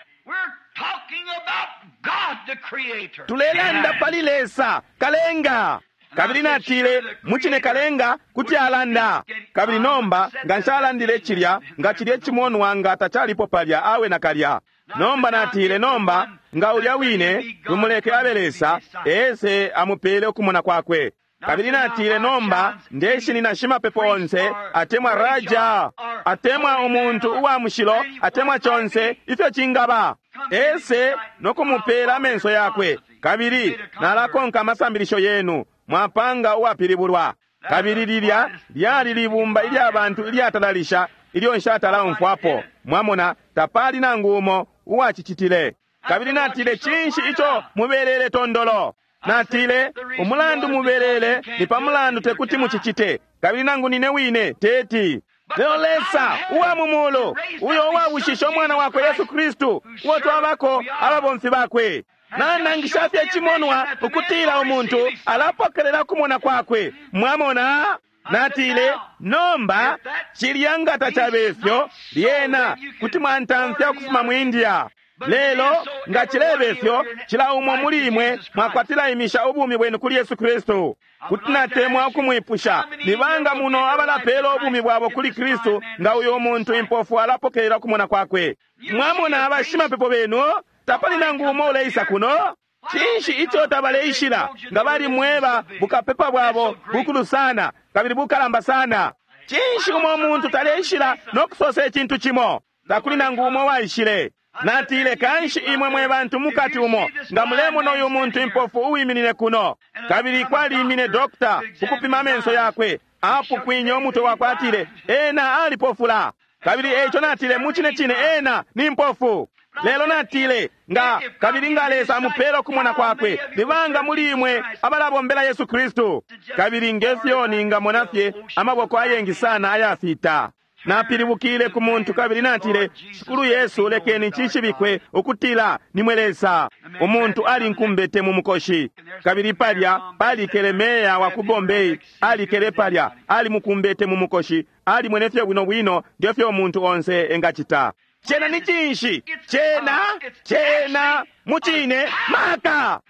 Speaker 2: Tulelanda pali Lesa kalenga. Kabili natile, mucine kalenga kuti alanda. Kabili nomba nga nshalandile cilya, nga cilye cimonwa nga tacalipo palya awe nakalya. Nomba natile, nomba nga ulya wine tumuleke abe Lesa ese amupele ukumona kwakwe. Kabili natile, nomba ndeshinina shimapepo onse atemwa raja atemwa umuntu uwa mushilo atemwa conse ifyo cingaba, ese no kumupela amenso yakwe. Kabili nalakonka amasambilisho yenu mwapanga uwapilibulwa. Kabili lilya lyali libumba ilya bantu ilyatalalisha ilyo nshatala umfwapo. Mwamona, tapali nangu umo uwacicitile. Kabili natile, cinshi ico mubelele tondolo? Natile, umulandu mubelele ni pa mulandu tekuti mucicite, kabili nangu nine wine teti. Lelo Lesa uwa mu mulu, uyo uwabushishe umwana wakwe Yesu Kristu, uo twabako ababomfi bakwe, nanangisha fye cimonwa ukutila umuntu alapokelela kumona kwakwe. Mwamona? Natile, nomba cilya nga tacabe fyo, lyena kuti mwantamfya ukufuma mu India. Lelo nga cilebe fyo, cila umo muli imwe mwakwatila imisha ubumi bwenu kuli Yesu Kristu. Kuti natemwa ukumwipusha, ni banga muno abalapela ubumi bwabo kuli Kristu nga uyo muntu impofu alapokelela kumona kwakwe? Mwamona abashimapepo benu, tapali nangu umo uleisa kuno. Cinshi ico tabaleishila nga bali mweba bukapepa bwabo bukulu sana kabili bukalamba sana? Cinshi umo muntu taleishila no kusosa icintu cimo? Takuli nangu umo waishile. Natile, kanshi imwe mwe bantu mukati umo nga mulemona uyu muntu impofu uwiminine kuno. Kabili kwalimine dokta ukupima amenso yakwe, apukwinye umutwe wakwe, atile ena alipofula. Kabili eico natile, mucine cine ena ni mpofu. Lelo natile, nga kabili nga Lesa amupela ukumona kwakwe, libanga muli imwe abalabombela Yesu Kristu. Kabili ngefyo ningamona fye amaboko ayengi sana ayafita. Napilibukile ku muntu kabili natile, Shikulu Yesu, lekeni cishibikwe ukutila nimwe Lesa. Umuntu alinkumbete mu mukoshi. Kabili palya palikele meya wa ku Bombay, alikele palya alimukumbete mu mukoshi, alimwene fye bwino bwino ngefyo umuntu onse engacita. Cena ni cinshi? Cena, cena, mucine, maka.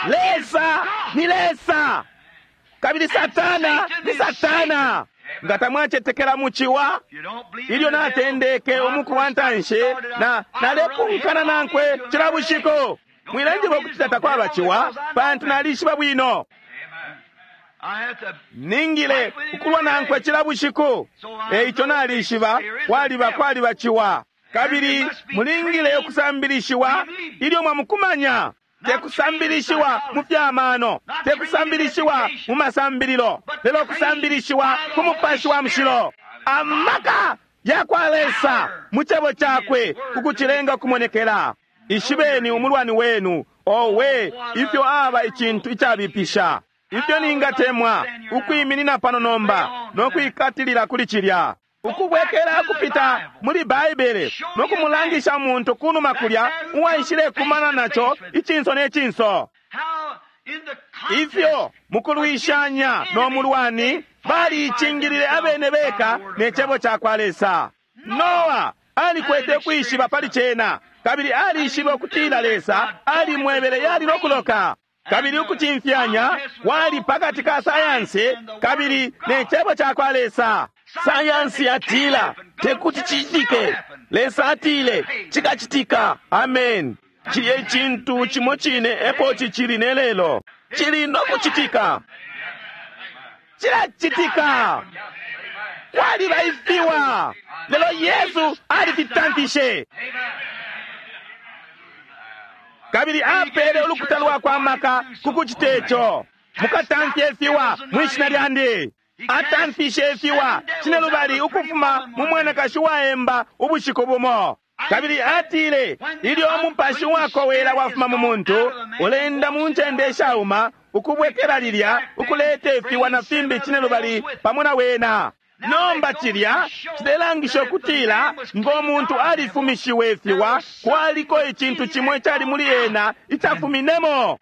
Speaker 2: Lesa ni Lesa. Kabili Satana ni Satana. Nga tamwacetekela muciwa, ilyo natendeke umuku wa ntanshi na nalepunkana nankwe cila bushiku. Mwilanjiba ukuti takwaba ciwa, pantu nalishiba bwino. Ningile ukulwa nankwe cila bushiku. Eico nalishiba kwaliba kwaliba ciwa. Kabili mulingile ukusambilishiwa ilyo mwamukumanya. Tekusambilishiwa mu fyamano, tekusambilishiwa mu masambililo, lelo kusambilishiwa ku Mupashi wa Mushilo. Amaka ya kwa Lesa mu cebo cakwe kukucilenga kumonekela. Ishibeni umulwani wenu Owe, ifyo aba icintu icabipisha! Ifyo ningatemwa ukwiminina pano nomba no kwikatilila kuli cilya, ukubwekela kupita muli Baibele no kumulangisha umuntu kunuma kulya uwaishile kumana naco icinso ne cinso. Ifyo mukulwishanya no mulwani baliicingilile abene beka ne cebo ca kwa Lesa. Noa alikwete kwishiba pali cena, kabili alishibe ukutila Lesa alimwebele yali no kuloka. Kabili ukucimfyanya kwali pakati ka sayansi kabili ne cebo ca kwa Lesa. Sayansi yatila tekuti cicitike, Lesa atile cikacitika. Amen. Cilya icintu cimo cine epo cicili ne lelo, cili no kucitika, cilacitika. Kwaliba ifiwa, lelo Yesu alifitamfishe kabili apele ulukuta lwakwe amaka ku kucite co. Mukatamfye ifiwa mwi shina lyandi. Atamfishe ifiwa cinelubali ukufuma mu mwanakashi waemba ubushiku bumo. Kabili atile, ilyo umupashi wakowela wafuma mu muntu, ulenda mu ncende ishauma, ukubwekela lilya, ukuleta ifiwa na fimbi cinelubali pamo na wena. Nomba cilya cilelangisha ukutila ngo muntu alifumishiwe ifiwa, kwaliko icintu cimo icali muli ena icafuminemo.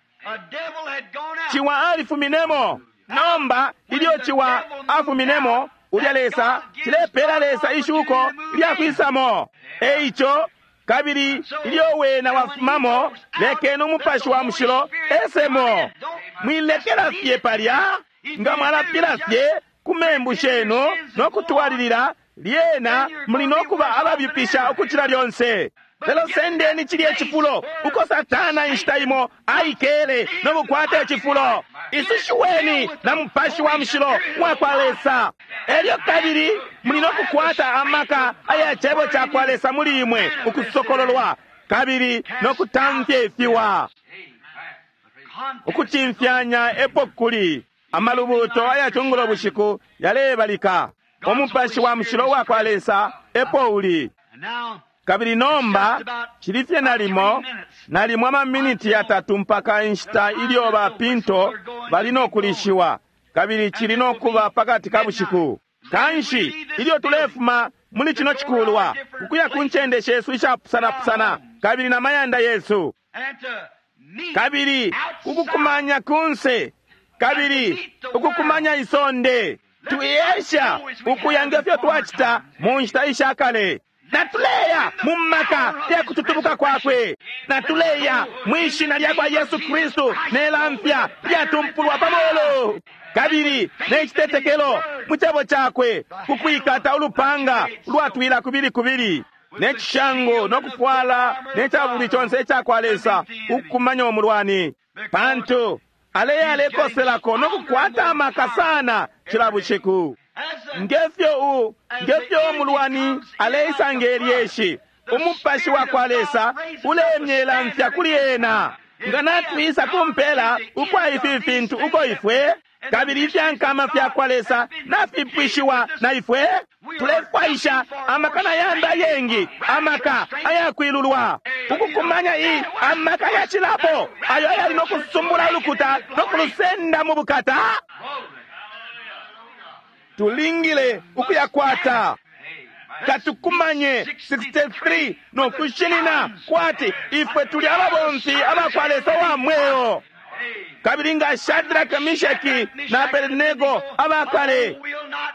Speaker 2: Ciwa alifuminemo. Nomba ilyo ciwa afuminemo, ulya Lesa cilepela Lesa ishuko lyakwisamo. Eico kabili ilyo wena wafumamo, lekeni umupashi wa mushilo esemo. Mwilekela fye palya, nga mwalapila fye ku membu shenu no kutwalilila, lyena muli no kuba ababipisha ukucila lyonse. Lelo sendeni cilye cifulo uko Satana inshita imo aikele no kukwata icifulo. Isushiweni na mupashi wa mushilo wa kwa Lesa. Elyo kabili muli no kukwata amaka aya cebo ca kwa Lesa muli imwe ukusokololwa kabili no kutamfya ifiwa. Ukucimfyanya epo kuli. Amalubuto aya cungulo bushiku yalebalika. Umupashi wa mushilo wa kwa Lesa epo uli. Kabili nomba cili fye nalimo nalimo amaminiti yatatu mpaka inshita ilyo ba pinto bali no kulishiwa, kabili cili no kuba pakati ka bushiku. Kanshi ilyo tulefuma muli cino cikulwa ukuya ku ncende shesu ishapusanapusana kabili na mayanda yesu, kabili ukukumanya kunse, kabili ukukumanya isonde, tuyesha ukuya ngefyo twacita mu nshita ishakale. Natuleya mu maka ya kututubuka kwakwe, natuleya mwi shina lya kwa Yesu Kristu ne lamfya lyatumpulwa pa molu, kabili ne citetekelo mu cebo cakwe, kukwikata ulupanga lwatwila kubili kubili ne cishango no kufwala ne cabuli conse ica kwa Lesa ukukumanya umulwani, pantu aleya alekoselako no kukwata amaka sana cila bushiku. Ngefyo ngefyo umulwani aleisa nge lyeshi, umupashi wa kwa Lesa ulemyela mfya kuli ena. Nga natwisa kumpela ukwa ifi fintu uko ifwe kabili ifyankama fya kwa Lesa nafipwishiwa na ifwe, tulefwaisha amaka na yambi ayengi, amaka ayakwilulwa ukukumanya iyi amaka yacilapo ayo ayali no kusumbula ulukuta no kulusenda mu bukata. Tulingile ukuyakwata. Katukumanye 63 no kushinina kwati ifwe tuli ababomfi abakwa Lesa wa mweo. Kabili nga Shadraka, Mishaki na Abednego abakale,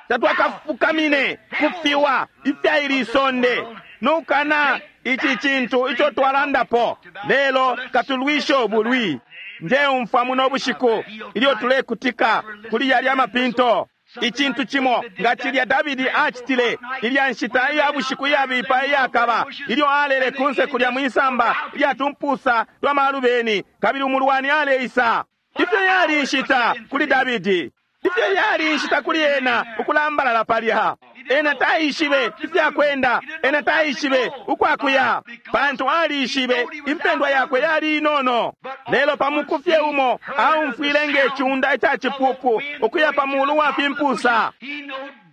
Speaker 2: tatwakafukamine kufiwa ifyaili isonde nukana ici cintu ico twalandapo, lelo katulwishe ubulwi. Njeumfwa muno bushiku ilyo tulekutika kuli yalya mapinto, icintu cimo nga cilya Davidi acitile ilya nshita iya bushiku iyabipa iyakaba, ilyo alele kunse kulya mwisamba ilya tumpusa twa malubeni, kabili umulwani aleisa. Ifyo yali inshita kuli Davidi, ifyo yali inshita kuli ena ukulambalala palya. Ena taishibe ifyakwenda, ena taishibe ukwakuya, pantu alishibe impendwa yakwe yali inono. Lelo pamukufye umo aumfwile nge ciunda ica cipupu ukuya pa mulu wa fimpusa.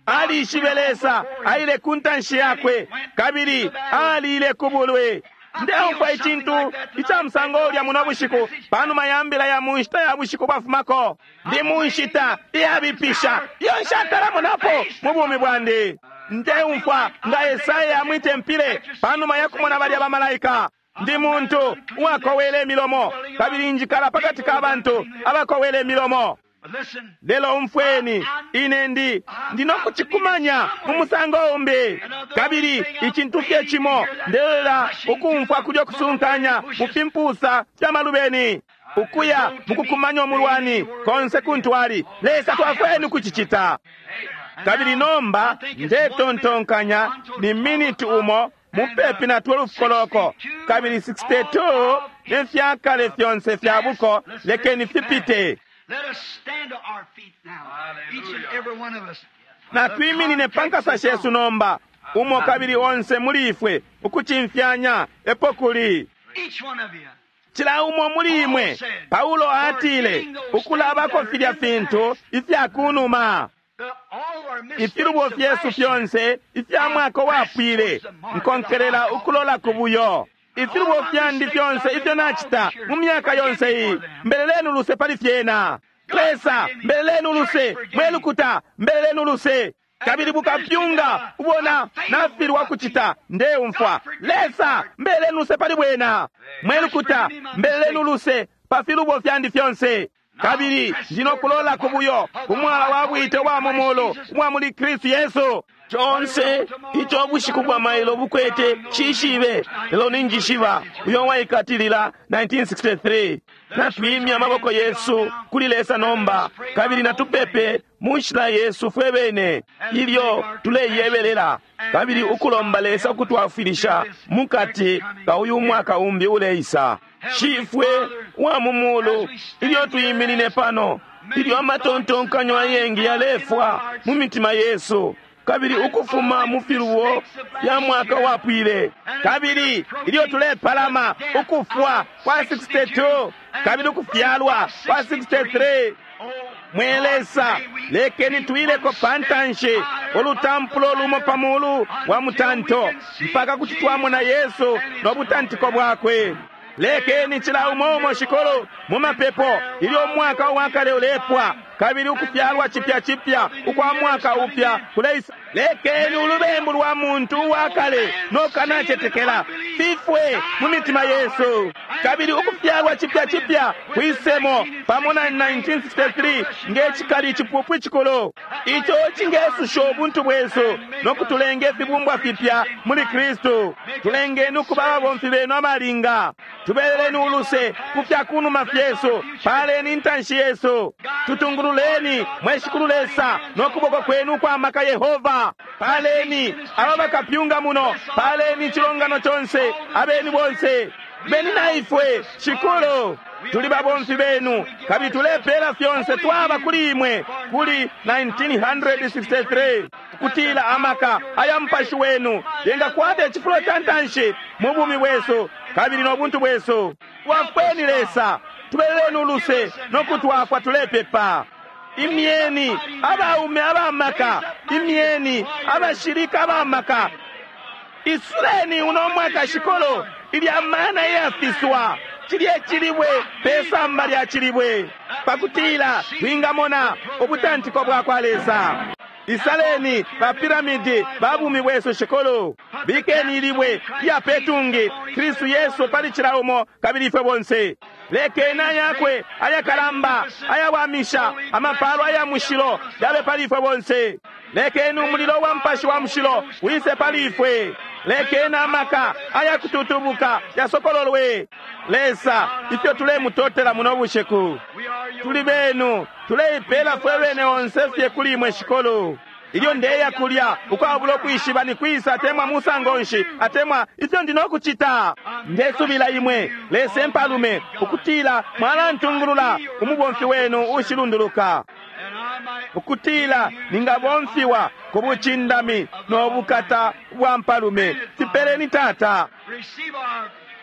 Speaker 2: Alishibe Lesa aile ku ntanshi yakwe, kabili alile ku bulwi. Ndeumfwa icintu ica musango ulya muno bushiku panuma ya mbila ya mu nshita ya bushiku bwafumako. Ndi mu nshita iyabipisha iyo nshatalamonapo mu bumi bwandi. Ndeumfwa nga Esaya mwitempile panuma ya kumona balya bamalaika. Ndi muntu uwakowele imilomo, kabili njikala pakati ka bantu abakowele imilomo. Lelo umfweni, ine ndi ndinokucikumanya mu musango umbi. Kabili icintu fye cimo ndelela ukumfwa kulyo kusunkanya mu fimpusa fya malubeni, ukuya mukukumanya umulwani konse kuntu ali. Lesa twafweni kucicita. Kabili nomba ndetontonkanya ni miniti umo mupepi na 12 koloko, kabili 62 nefyakale fyonse fya buko lekeni fipite. Na twiminine pa nkasa shesu nomba, umo kabili onse muli ifwe, ukucimfyanya epo kuli cila umo muli imwe. Paulo atile ukulabako filya fintu ifya kunuma, ifilubo fyesu fyonse ifya mwaka wapwile, nkonkelela ukulola ku buyo. Ifilubo fyandi fyonse ifyo nacita mu myaka yonse iyi, mbeleleni uluse pali fyena. Lesa, mbeleleni uluse. Mwelukuta, mbeleleni uluse. Kabili bukapyunga ubona nafilwa kucita, ndeumfwa. Lesa, mbeleleni uluse pali bwena. Mwelukuta, mbeleleni uluse pa filubo fyandi fyonse. Kabili ndinokulola ku buyo umwala wa bwite wa mumulu umwa muli Kristu Yesu. Conse ico bushiku bwa mailo bukwete cishibe, lelo ninjishiba uyo waikatilila 1963. Natwimya amaboko yesu kuli Lesa nomba, kabili natupepe mu nshila yesu fwe bene ilyo tuleyebelela, kabili ukulomba Lesa ukutwafwilisha mukati ka uyu mwaka umbi uleisa. Shifwe wa mu mulu, ilyo tuyiminine pano, ilyo amatontonkanyo ayengi yalefwa mu mitima yesu, kabili ukufuma mu filubo fya mwaka wapwile, kabili ilyo tulepalama ukufwa kwa 62 kabili ukufyalwa kwa 63, mwe Lesa, lekeni twileko pantanshi ulutampulo lumo pa mulu wa mutanto mpaka kuti twamona Yesu no butantiko bwakwe. Lekeni cila umo umo shikolo mu mapepo ilyo umwaka uwakale ulepwa kabili ukufyalwa chipya chipya ukwa mwaka upya kuleisa. Lekeni ulubembu lwa muntu uwakale nokanacetekela fifwe mu mitima yesu, kabili ukufyalwa chipya chipya kwisemo pamo na 1963 nge cikali icipupu icikulu ico cingesusha ubuntu bwesu nokutulenga ifibumbwa fipya muli Kristu. Tulengeni ukuba ababomfi benu abalinga. Tubeleleni uluse ku fya kunuma fyesu, paleni intanshi yesu, tutungululeni mwe Shikulu Lesa nokuboko kwenu kwa maka Yehova. Paleni aba bakapyunga muno, paleni icilongano conse, abeni bonse beni na ifwe Shikulu. Tuli babomfi benu kabili tulepela fyonse twaba kuli imwe kuli 1963, kutila amaka aya mupashi wenu yengakwata icifulo ca ntanshi mu bumi bwesu kabili no buntu bwesu. Twafweni Lesa, tubeleleni uluse no kutwafwa tulepepa. Imyeni abaume abamaka, imyeni abashilika abamaka. Isuleni uno mwaka Shikulu ilya mana iyafiswa cilye cilibwe pesamba lya cilibwe, pakutila twingamona ubutantiko bwa kwa Lesa. Isaleni bapiramidi ba bumi bwesu Shikulu. Bikeni ilibwe lya petungi Kristu Yesu pali cila umo kabili ifwe bonse. Lekeni ayakwe ayakalamba ayawamisha amapalo aya mushilo yabe pali ifwe bonse. Lekeni umulilo wa mpashi wa mushilo wise pali ifwe. Lekeni amaka ayakututubuka yasokololwe. Lesa, ifyo tulemutotela muno bushiku, tuli benu, tuleipela fwe bene onse fye kuli imwe Shikulu. Ilyo ndeya kulya ukwabula ukwishiba ni kwisa atemwa musango nshi atemwa ifyo ndi nokucita, ndesubila imwe Lesa empalume ukutila mwalantungulula umubomfi wenu ushilunduluka, ukutila ningabomfiwa ku bucindami no bukata bwa mpalume. Tipeleni Tata,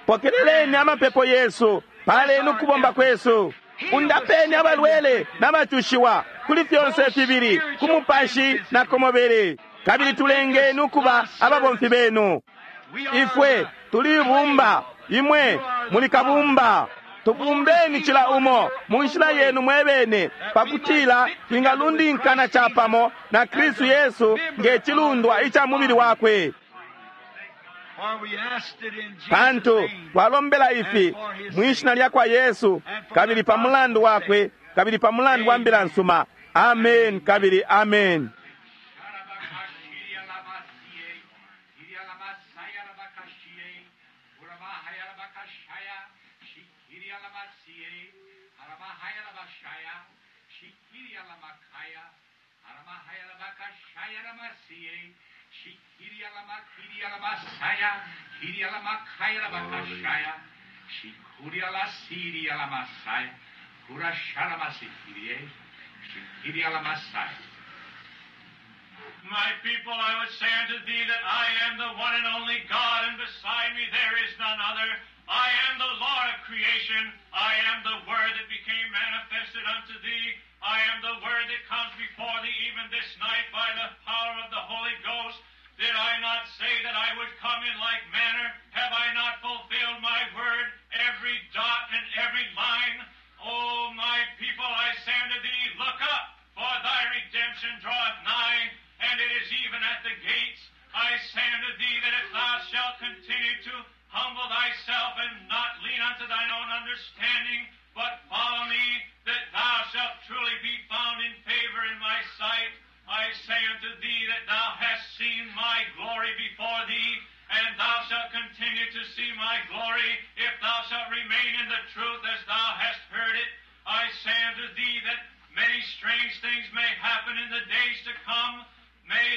Speaker 2: pokeleleni amapepo yesu, paleni ukubomba kwesu, undapeni abalwele n'abacushiwa kuli fyonse fibili, ku mupashi na ku mubili, kabili tulengeni ukuba ababomfi benu. Ifwe tuli ibumba, imwe muli kabumba. Tubumbeni cila umo mu nshila yenu mwebene, pakutila twingalundinkana capamo na Kristu Yesu nge cilundwa ica mubili wakwe. Pantu twalombela ifi mwishina lya kwa Yesu, kabili pa mulandu wakwe, kabili pa mulandu wa mbila nsuma. Amen kabili amen.
Speaker 4: My people, I would say unto thee that I am the one and only God, and beside me there is none other. I am the Lord of creation. I am the Word that became manifested unto thee. I am the Word that comes before thee even this night by the power of the Holy Ghost. Did I not say that I would come in like manner? Have I not fulfilled my word, every dot and every line? O my people, I say unto thee, look up, for thy redemption draweth nigh, and it is even at the gates. I say unto thee that if thou shalt continue to humble thyself and not lean unto thine own understanding, but follow me, that thou shalt truly be found in favor in my sight. I say unto thee that thou hast seen my glory before thee, and thou shalt continue to see my glory, if thou shalt remain in the truth as thou hast heard it. I say unto thee that many strange things may happen in the days to come. May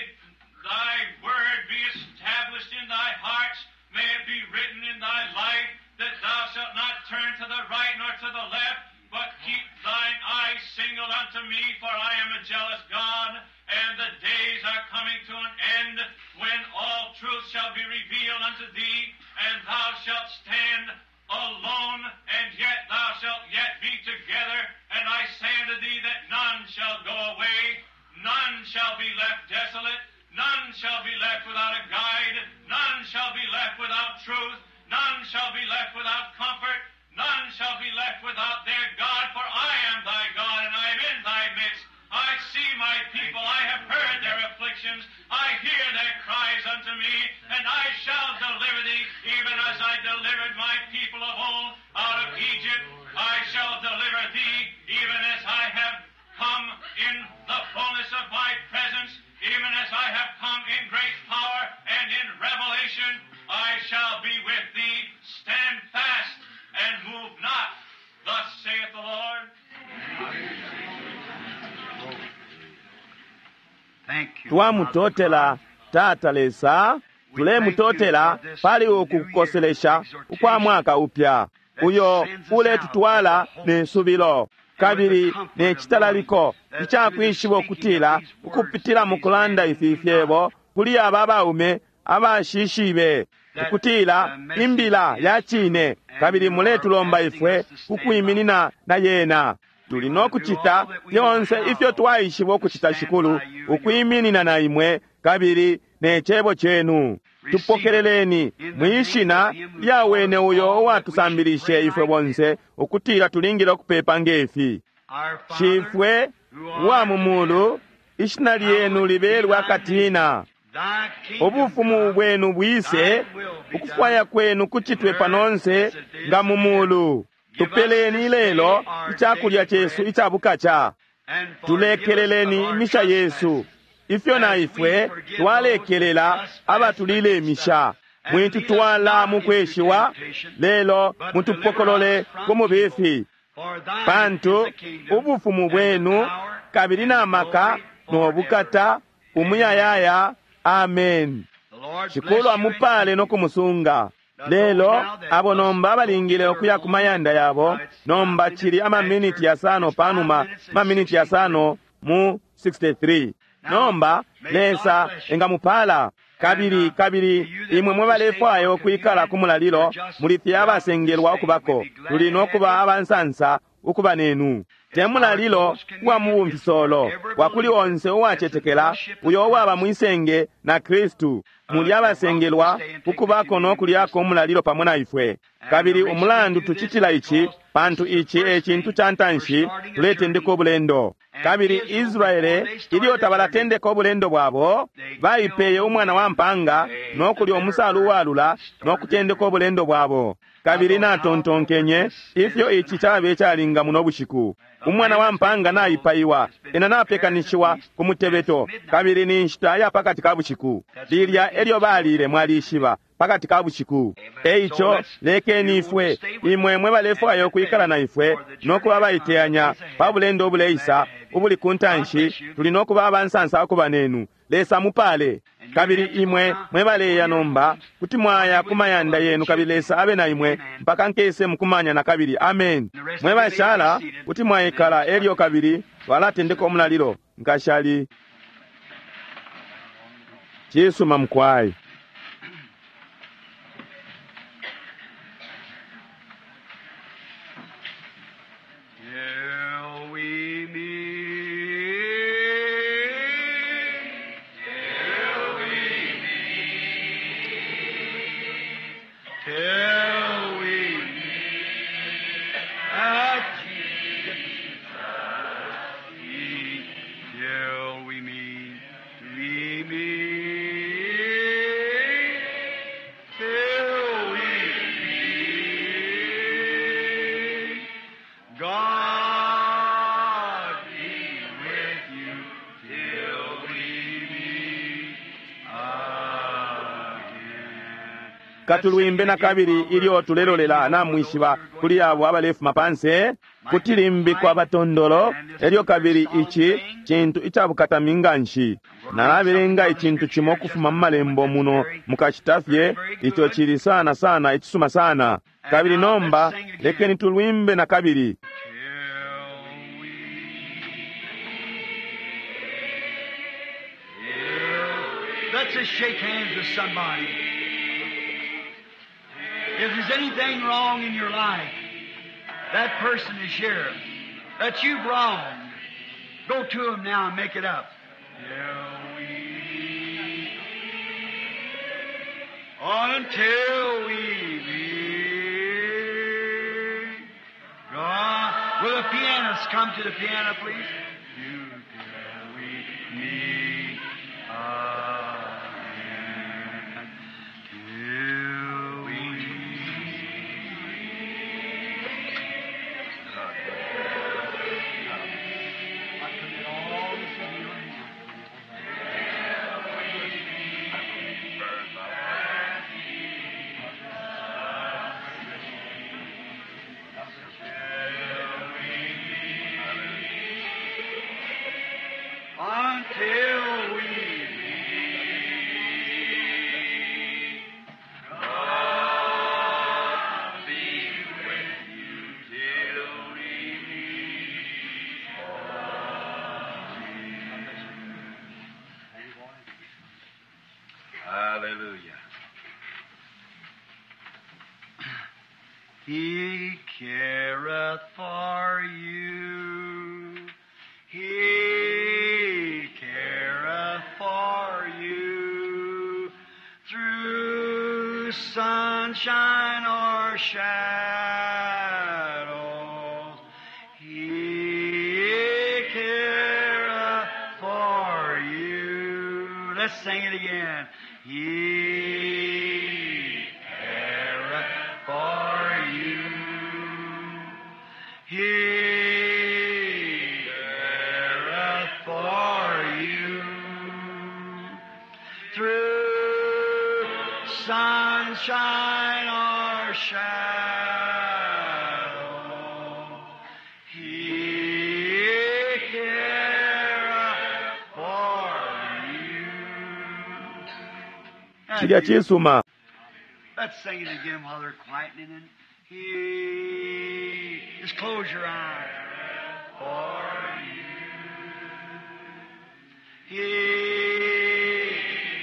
Speaker 4: thy word be established in thy hearts. May it be written in thy life that thou shalt not turn to the right nor to the left, but keep thine eyes single unto me, for I am a jealous God, and the days are coming to an end when all truth shall be revealed unto thee, and thou shalt stand alone, and yet thou shalt yet be together. And I say unto thee that none shall go away, none shall be left desolate, none shall be left without a guide, none shall be left without truth, none shall be left without comfort, none shall be left without their God, for I am thy God, and I am in thy midst. I see my people, I have heard their afflictions, I hear their cries unto me, and I shall deliver thee, even as I delivered my people of old out of Egypt. I shall deliver thee, even as I have come in the fullness of my presence, even as I have come in great power and in revelation. I shall be with thee. Stand fast and move not. Thus saith the Lord.
Speaker 2: Twamutotela Tata Lesa, tulemutotela pali uku kukoselesha ukwa mwaka upya uyo uletutwala ne subilo kabili ne chitalaliko ichakwishiba ukutila ukupitila mukulanda ifi fyebo kuli aba baume abashishibe ukutila imbila ya chine, kabili muletulomba ifwe kukwiminina na yena. Tuli nokuchita fyonse ifyo twaishiba ukuchita, Shikulu, ukwiminina na imwe kabili ne chebo chenu. Tupokeleleni mwishina lya wene uyo uwatusambilishe ifwe bonse ukutila tulingile ukupepa ngefi. Shifwe wa mu mulu, ishina lyenu libelwe akatina, ubufumu bwenu bwise, ukufwaya kwenu kuchitwe panonse nga mu mulu. Tupeleni lelo ichakulya chesu ichabukacha. Tulekeleleni imisha yesu ifyo na ifwe twalekelela abatulile imisha. Mwitutwala mukweshiwa, lelo mutupokolole ku mubifi, pantu ubufumu bwenu kabili na maka no bukata umuyayaya. Amen. Shikulu amupale no kumusunga. Lelo abo nomba balingile okuya ku mayanda yabo. Nomba chili amaminiti yasano panuma maminiti yasano mu 63. Nomba Lesa engamupala kabili kabili imwe mwe balefwaya okwikala ku mulalilo, muli fye abasengelwa okubako. Tuli nokuba abansansa ukuba nenu. Te mulalilo uwa mubumfisolo wakuli onse uwacetekela uyo uwaba mwisenge na Kristu. Muli abasengelwa ukubako no kulyako umulalilo pamo na ifwe. Kabili umulandu tucitila ici, pantu ici e cintu ca ntanshi tuletendeka ubulendo. Kabili Israele ilyo tabalatendeka ubulendo bwabo, baipeye umwana wa mpanga no kulya umusalu uwalula no kutendeka ubulendo bwabo. Kabili natontonkenye ifyo ici cabe calinga muno bushiku. Umwana wa mpanga naipaiwa, ena napekanishiwa ku mutebeto, kabili ni nshita ya pakati ka bushiku. Lilya elyo balile, mwalishiba, pakati ka bushiku. Eico lekeni ifwe, imwe mwe balefwaya ukwikala na ifwe no kuba abaiteyanya pa bulendo obuleisa ubuli ku ntanshi, tuli no kuba abansansa ukuba nenu. Lesa mupale. Kabili imwe mwe baleya nomba kuti mwaya ku mayanda yenu, kabili Lesa abe na imwe mpaka nkese mukumanya na kabili. Amen. Mwe bashala kuti mwaikala elyo kabili twalatendeka umulalilo. Nkashali cisuma mukwai.
Speaker 1: Till we meet, till we meet, till we meet at Jesus' feet, till we meet, we meet, till we meet. God be with you till we meet again.
Speaker 2: Katulwimbe na kabili ilyo tulelolela namwishiba kuli abo abalefuma panse kuti limbi kwa batondolo. Elyo kabili ici cintu icabukatami nganshi. Nalabelenga icintu cimo kufuma mu malembo muno mukacita fye ico cili sana sana icisuma sana. Kabili nomba lekeni tulwimbe na kabili.
Speaker 1: Till we Let's just shake hands with somebody. If there's anything wrong in your life, that person is here that you've wronged. Go to him now and make it up. Till we, until we meet. God, will the pianist come to the piano, please? You till we meet again. Till we meet. I commit all this into your hands. Until we meet, God be with you till we meet.
Speaker 3: Hallelujah.
Speaker 1: He careth for you. He careth for you through sunshine or shadows. He careth for you. Let's sing it again. He careth for you. He careth for you through sunshine or shadow. He careth for you.
Speaker 2: Cilya cisuma.
Speaker 1: Let's sing it again while they're quietening it. He, just close your eyes. For you. He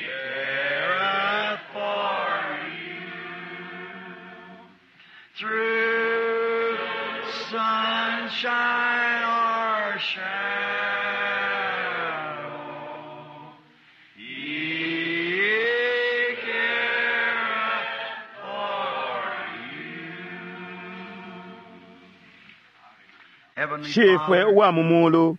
Speaker 1: careth for you through sunshine or shadow. He
Speaker 2: Shifwe uwa mu mulu,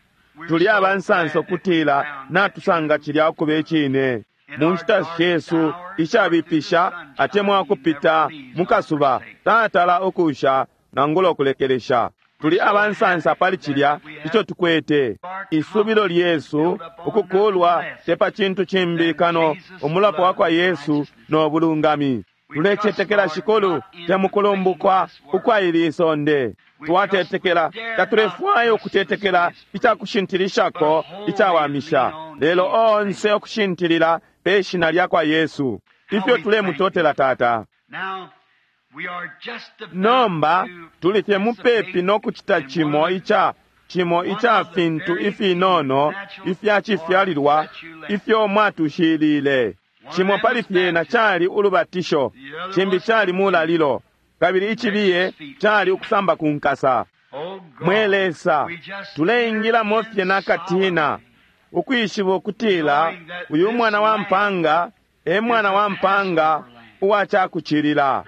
Speaker 2: tuli abansansa ukutila natusanga cilya ukuba icine. Mu nshita shesu ishabipisha atemwa ukupita mu kasuba, tatala ukusha nangula ukulekelesha. Tuli abansansa pali cilya ico tukwete. Isubilo lyesu ukukulwa te pa cintu cimbi kano umulapo wa kwa Yesu no bulungami. Tulecetekela Shikulu te mukulumbukwa ukwa ili isonde. Twatetekela, tatulefwaya ukutetekela icakushintilishako icawamisha, lelo onse ukushintilila pe shina lya kwa Yesu. Ifyo tulemutotela Tata. Nomba tuli fye mupepi no kucita cimo ica cimo ica fintu ifinono ifya cifyalilwa ifyo mwatushilile. Cimo pali fyena cali ulubatisho, cimbi cali mulalilo, kabili icibiye cali ukusamba ku nkasa. Mwe Lesa, tuleingilamo fye nakatina, ukwishiba ukutila uyu mwana wa mpanga e mwana wa mpanga uwa cakucilila.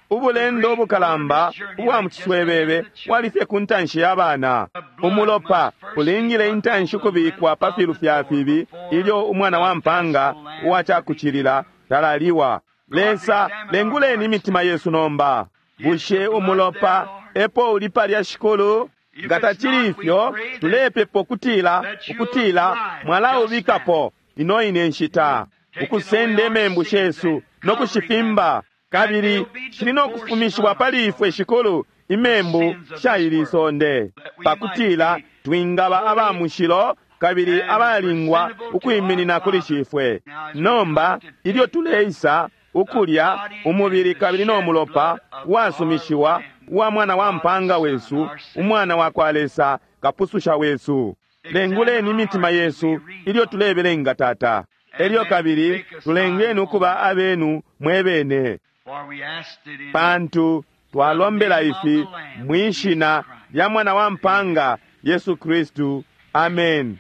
Speaker 2: Ubulendo ubukalamba ubwa mu ciswebebe bwali fye ku ntanshi ya bana. Umulopa ulingile intanshi ukubikwa pa filu fya fibi ilyo umwana wa mpanga uwa cakucilila talaliwa. Lesa, lenguleni imitima yesu nomba. Bushe umulopa epo uli palya, Shikulu? Nga tacili ifyo, tulepepa ukutila ukutila mwalaubikapo ino ine nshita, ukusenda imembu shesu no kushifimba, kabili shili no kufumishiwa pali ifwe, Shikulu, imembu sha ili isonde, pakutila twingaba aba mushilo kabili abalingwa ukwiminina kuli Shifwe. Nomba ilyo tuleisa ukulya umubili kabili no mulopa wasumishiwa wa mwana wa mpanga wesu, umwana wa kwa Lesa, kapususha wesu, lenguleni imitima yesu ilyo tulebelenga, Tata. Elyo kabili tulengeni ukuba abenu mwebene, pantu twalombela ifi mwishina lya mwana wa mpanga Yesu Kristu. Amen.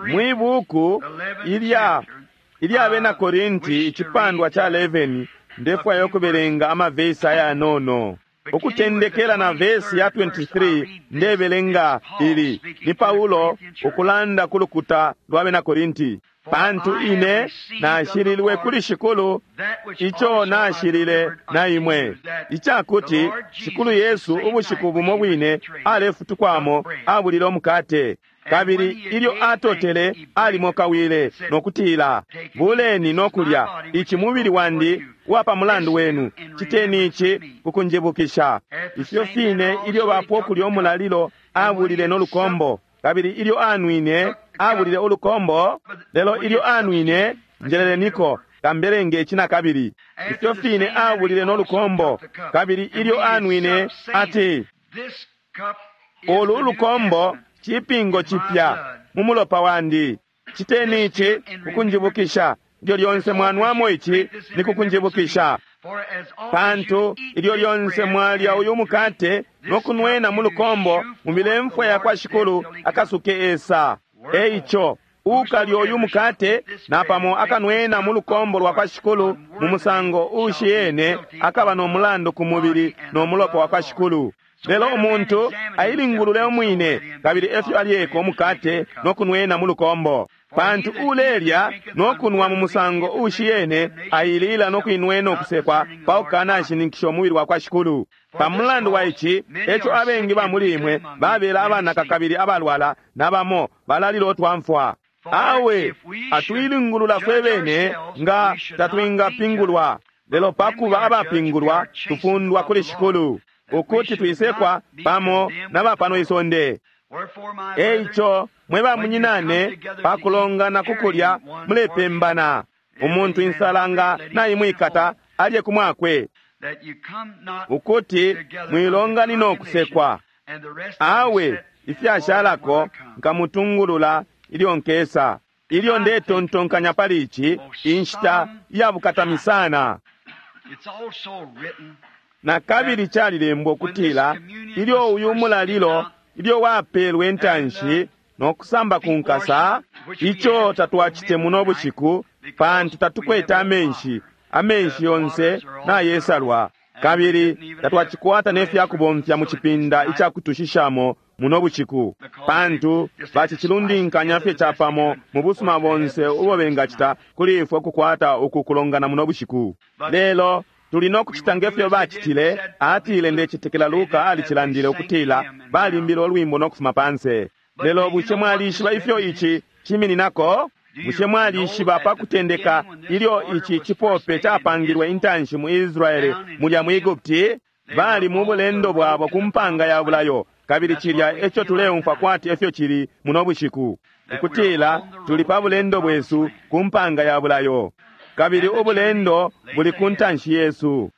Speaker 2: Mwi buku ilya ilya bena Korinti icipandwa ca 11, ndefwaya ukubelenga amavesi ayanono. Ukutendekela na vesi ya 23 ndebelenga ili ni Paulo ukulanda ku lukuta lwa bena Korinti. Pantu ine nashililwe kuli Shikulu ico nashilile na imwe, icakuti Shikulu Yesu ubushiku bumo bwine alefutukwamo abulile umukate, kabili ilyo atotele alimokawile no kutila, buleni no kulya, ici mubili wandi wa pa mulandu wenu, citeni ici kukunjibukisha. Ifyo fine ilyo bapwa ukulya umulalilo abulile no lukombo, kabili ilyo anwine abulile ulukombo, lelo ilyo anwine, njeleleniko kambelenge ici na kabili. Ifyo fine abulile no lukombo, kabili ilyo anwine ati, ulu ulukombo cipingo cipya mu mulopa wandi, citeni ici kukunjibukisha. Ilyo lyonse mwanwamo ici ni kukunjibukisha. Pantu ilyo lyonse mwalya uyu mukate no kunwena mu lukombo, mubile mfwa ya kwa Shikulu akasuke esa. Eico ukalya uyu mukate napamo akanwena mu lukombo lwa kwa Shikulu mu musango ushiyene, akaba no mulandu ku mubili no mulopa wa kwa Shikulu. Lelo umuntu ailingulule umwine, kabili efyo alyeko umukate no kunwena mu lukombo. Pantu ulelya no kunwa mu musango ushiyene, ailila no kuinwena ukusekwa pa kukanashininkisha umubili wa kwa Shikulu. Pa mulandu wa ici, eco abengi ba muli imwe babela abanaka kabili abalwala, na bamo balalila utwamfwa. Awe atuilingulula fwe bene nga tatwingapingulwa, lelo pakuba abapingulwa tufundwa kuli Shikulu, ukuti twisekwa pamo na ba pano isonde. Eico mwe bamunyinane, pakulongana kukulya mulepembana. Umuntu insala nga naimwikata alye kumwakwe, ukuti mwilonganina ukusekwa. Awe ifyashalako nkamutungulula ilyo nkesa. Ilyo ndetontonkanya pali ici, inshita iyabukatami sana. Na kabili calilembwa ukutila ilyo uyu mulalilo ilyo wapelwe intanshi no kusamba ku nkasa, ico tatwacite muno bushiku, pantu tatukwete amenshi, amenshi yonse nayesalwa. Kabili tatwacikwata ne fyakubomfya mu cipinda icakutushishamo muno bushiku, pantu bacicilundinkanya fye capamo mu busuma bonse ubo bengacita kuli ifwe ukukwata uku kulongana muno bushiku. Lelo tuli no kucita ngefyo bacitile. Atile, ndecetekela Luka alicilandile ukutila balimbile ulwimbo no kufuma panse. Lelo bushe mwalishiba ifyo ici cimininako? Bushe mwalishiba pa kutendeka ilyo ici cipope capangilwe intanshi mu Israele mulya mu Egupti? Bali mu bulendo bwabo ku mpanga ya bulayo, kabili cilya eco tuleumfwa kwati efyo cili muno bushiku, ukutila tuli pa bulendo bwesu ku mpanga ya bulayo, kabili ubulendo buli ku ntanshi yesu.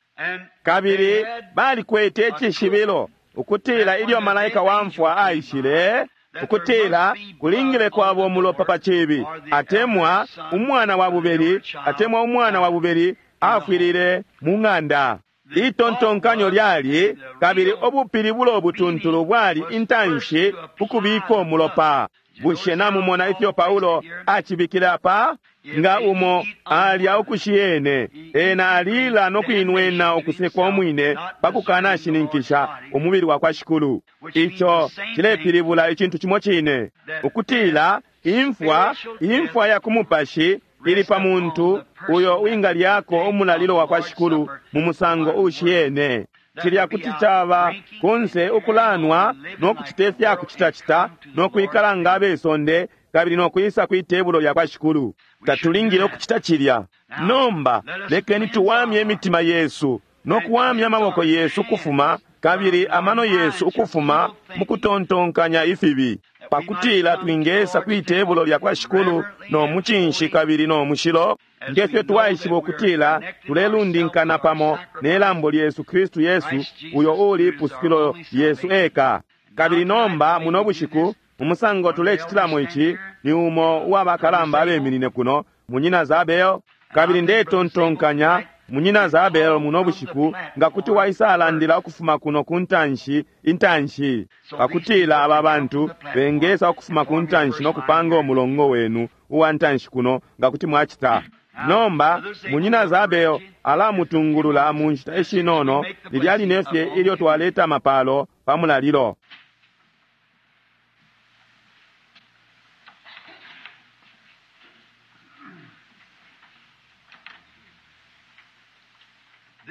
Speaker 2: Kabili balikwete icishibilo ukutila ilyo malaika wa mfwa aishile, ukutila kulingile kwabo umulopa pa cibi, atemwa umwana wa bubeli, atemwa umwana wa bubeli afwilile mu ng'anda. Itontonkanyo lyali, kabili ubupilibulo obutuntulu bwali intanshi ukubika umulopa. Bushe namumona ifyo Paulo acibikile apa? Nga umo alya ukushiyene, ena alila no kuinwena ukusekwa umwine pa kukanashininkisha umubili wa kwa Shikulu. Ico cilepilibula icintu cimo cine, ukutila imfwa, imfwa ya ku mupashi ili pa muntu uyo wingalyako umulalilo wa kwa Shikulu mu musango ushiyene. Cilya kuti caba kunse ukulanwa no kucita ifya kucitacita no kwikala nga abesonde kabili no kwisa kwi tebulo lya kwa Shikulu. Tatulingile ukucita cilya. Nomba lekeni tuwamye imitima yesu no kuwamya amaboko yesu ukufuma kabili amano yesu ukufuma mu kutontonkanya ifibi, pakutila twingesa kwi tebulo lya kwa Shikulu no mucinshi kabili no mushilo, ngefyo twaishiba ukutila tulelundinkana pamo ne lambo lyesu Kristu Yesu, uyo uli ipusukilo lyesu eka. Kabili nomba muno bushiku umusango tulecitilamo ici ni umo uwabakalamba abeminine kuno, Munyina Zabel. Kabili ndetontonkanya Munyina Zabel muno bushiku nga kuti waisalandila ukufuma kuno ku ntanshi intanshi, pakutila aba bantu bengesa ukufuma ku ntanshi no kupanga umulongo wenu uwa ntanshi kuno, nga kuti mwacita. Nomba Munyina Zabel alamutungulula mu nshita ishinono lilya line fye ilyo twaleta amapalo pa mulalilo.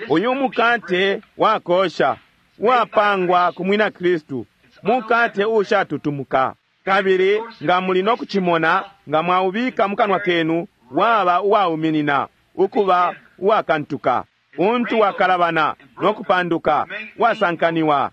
Speaker 2: Uyu mukate wakosha wapangwa ku mwina Kristu, mukate ushatutumuka. Kabili nga muli no kucimona, nga mwaubika mukanwa kenu, waba uwauminina, ukuba uwakantuka, untu wakalabana no kupanduka, wasankaniwa.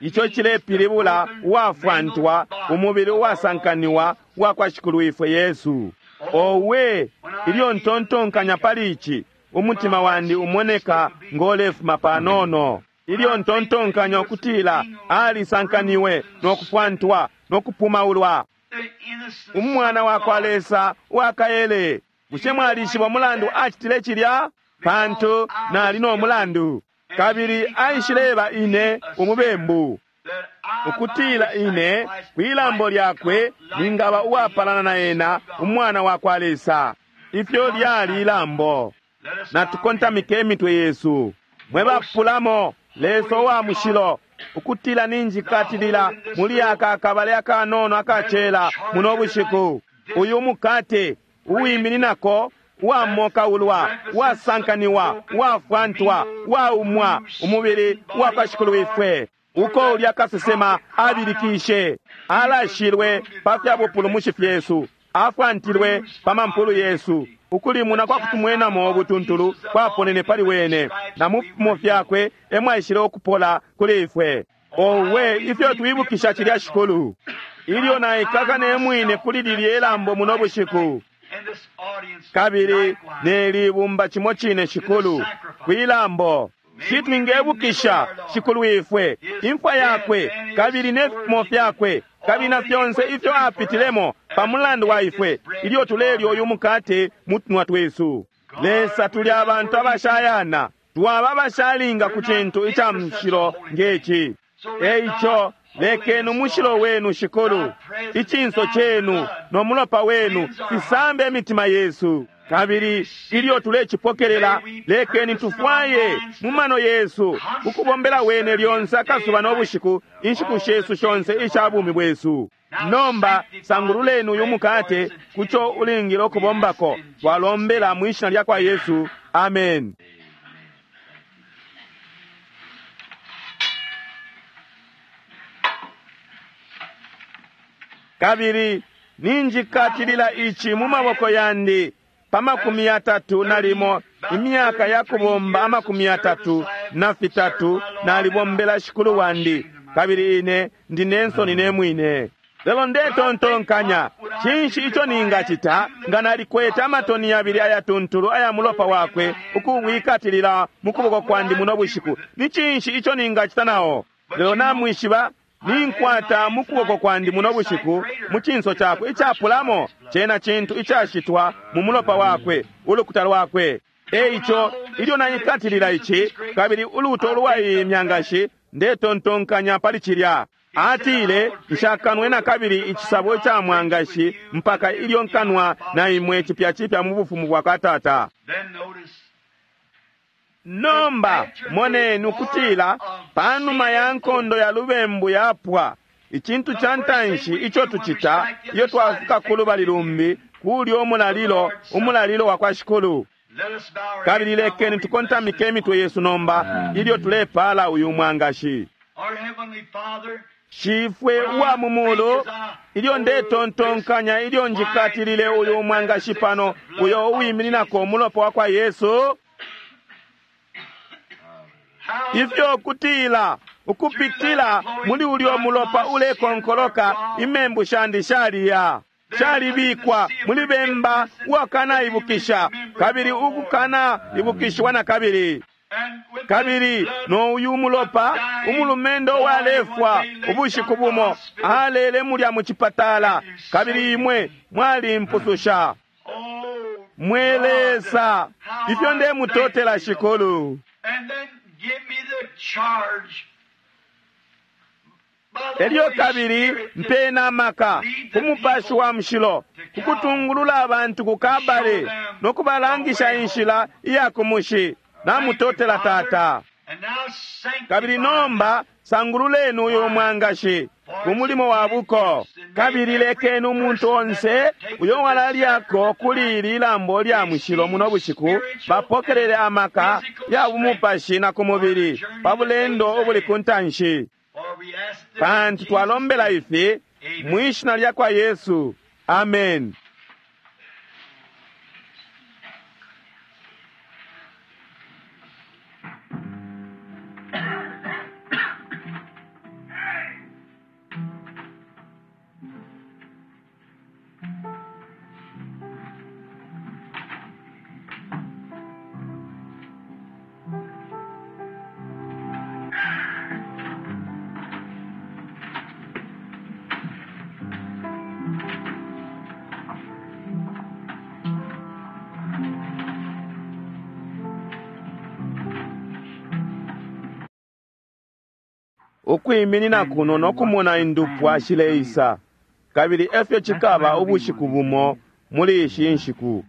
Speaker 2: Ico cilepilibula uwafwantwa, umubili uwasankaniwa wa kwa Shikulu ifwe Yesu. Owe, ilyo ntontonkanya pali ici, umutima wandi umoneka ngolefuma panono. Ilyo ntontonkanya ukutila alisankaniwe no kufwantwa no kupumaulwa, umwana wa kwa Lesa uwakaele. Bushe mwalishiba umulandu acitile cilya? Pantu nali no mulandu, kabili aishileba ine umubembu, ukutila ine kwilambo lyakwe ningaba uwapalana na ena, umwana wa kwa Lesa. Ifyo lyali ilambo. Natukontamike imitwe yesu. Mwe bapulamo, Lesa uwa mushilo, ukutila ninjikatilila muli aka akabale akanono akacela muno bushiku. Uyu mukate uwimininako uwamokaulwa, uwasankaniwa, uwafwantwa, uwaumwa, umubili uwa kwa Shikulu ifwe, uko ulya kasesema abilikishe, alashilwe pa fya bupulumushi fyesu, afwantilwe pa mampulu yesu. Ukulimuna kwa kutumwenamo ubutuntulu kwaponene pali wene, na mu fipimo fyakwe emwaishile ukupola kuli ifwe. Owe, ifyo twibukisha cilya Shikulu! Ilyo naikaka ne mwine kuli lilye lambo muno bushiku, kabili ne libumba cimo cine Shikulu kwilambo, shi twingebukisha Shikulu ifwe, imfwa yakwe kabili ne fipimo fyakwe kabili na fyonse ifyo apitilemo pa mulandu wa ifwe, ilyo tulelya uyu mukate mu tunwa twesu. Lesa, tuli abantu abashayana, twaba abashalinga ku cintu ica mushilo ngeci. Eico lekeni umushilo wenu Shikulu, icinso cenu no mulopa wenu fisambe imitima yesu. Kabili ilyo tulecipokelela, lekeni tufwaye mu mano yesu ukubombela wene lyonse akasuba no bushiku, inshiku shesu shonse isha bumi bwesu. Nomba sangululeni uyu mukate kuco ulingile ukubombako. Twalombela mu ishina lya kwa Yesu, amen. Kabili ninjikatilila ici mu maboko yandi pa 31 imyaka ya kubomba 33 nalibombela shikulu wandi, kabili ine ndi nensoni ne mwine. Lelo ndetontonkanya, cinshi ico ningacita nga nalikwete amatoni 2 ayatuntulu aya mulopa wakwe ukuwikatilila mu kuboko kwandi muno bushiku? Ni cinshi ico ningacita nao? Lelo namwishiba, ninkwata mu kuboko kwandi muno bushiku mu cinso cakwe icapulamo, cena cintu icashitwa mu mulopa wakwe, ulukuta lwakwe. Eico ilyo naikatilila ici kabili uluto lwa iyi myangashi, ndetontonkanya pali cilya. Atile, nshakanwe na kabili icisabo ca mwangashi mpaka ilyo nkanwa na imwe cipya cipya mu bufumu bwa kwa Tata. Nomba moneni ukutila panuma ya nkondo ya lubembu yapwa, icintu ca ntanshi ico tucita iyo twafika ku lubali lumbi kulyo umulalilo, umulalilo wa kwa Shikulu. Kabili lekeni tukontamike imitwe yesu nomba ilyo tulepala uyu mwangashi. Shifwe uwa mu mulu, ilyo ndetontonkanya ilyo njikatilile uyu mwangashi pano, uyo uwimininako umulopa wa kwa Yesu, ifyo kutila ukupitila muli ulyo mulopa ulekonkoloka imembu shandi shaliya shalibikwa muli bemba uwakanaibukisha kabili ukukanaibukishiwa na kabili. Kabili no uyu mulopa, umulumendo uwalefwa ubushiku bumo alele mulya mu cipatala, kabili imwe mwalimpususha. Mwe Lesa, ifyo ndemutotela Shikulu. Elyo kabili mpena amaka ku Mupashi wa Mushilo kukutungulula abantu ku Kabale no kubalangisha inshila iya ku mushi. Namutotela Tata. Kabili nomba sangululeni uyu mwangashi ku mulimo wa buko, kabili lekeni umuntu onse uyo walalyako kuli ili lambo lya mushilo muno bushiku bapokelele amaka ya bumupashi na ku mubili pa bulendo ubuli ku ntanshi. Pantu twalombela ifi mwishina lya kwa Yesu, amen. Ukwiminina kuno no kumona indupwa shileisa, kabili efyo cikaba ubushiku bumo muli ishi nshiku.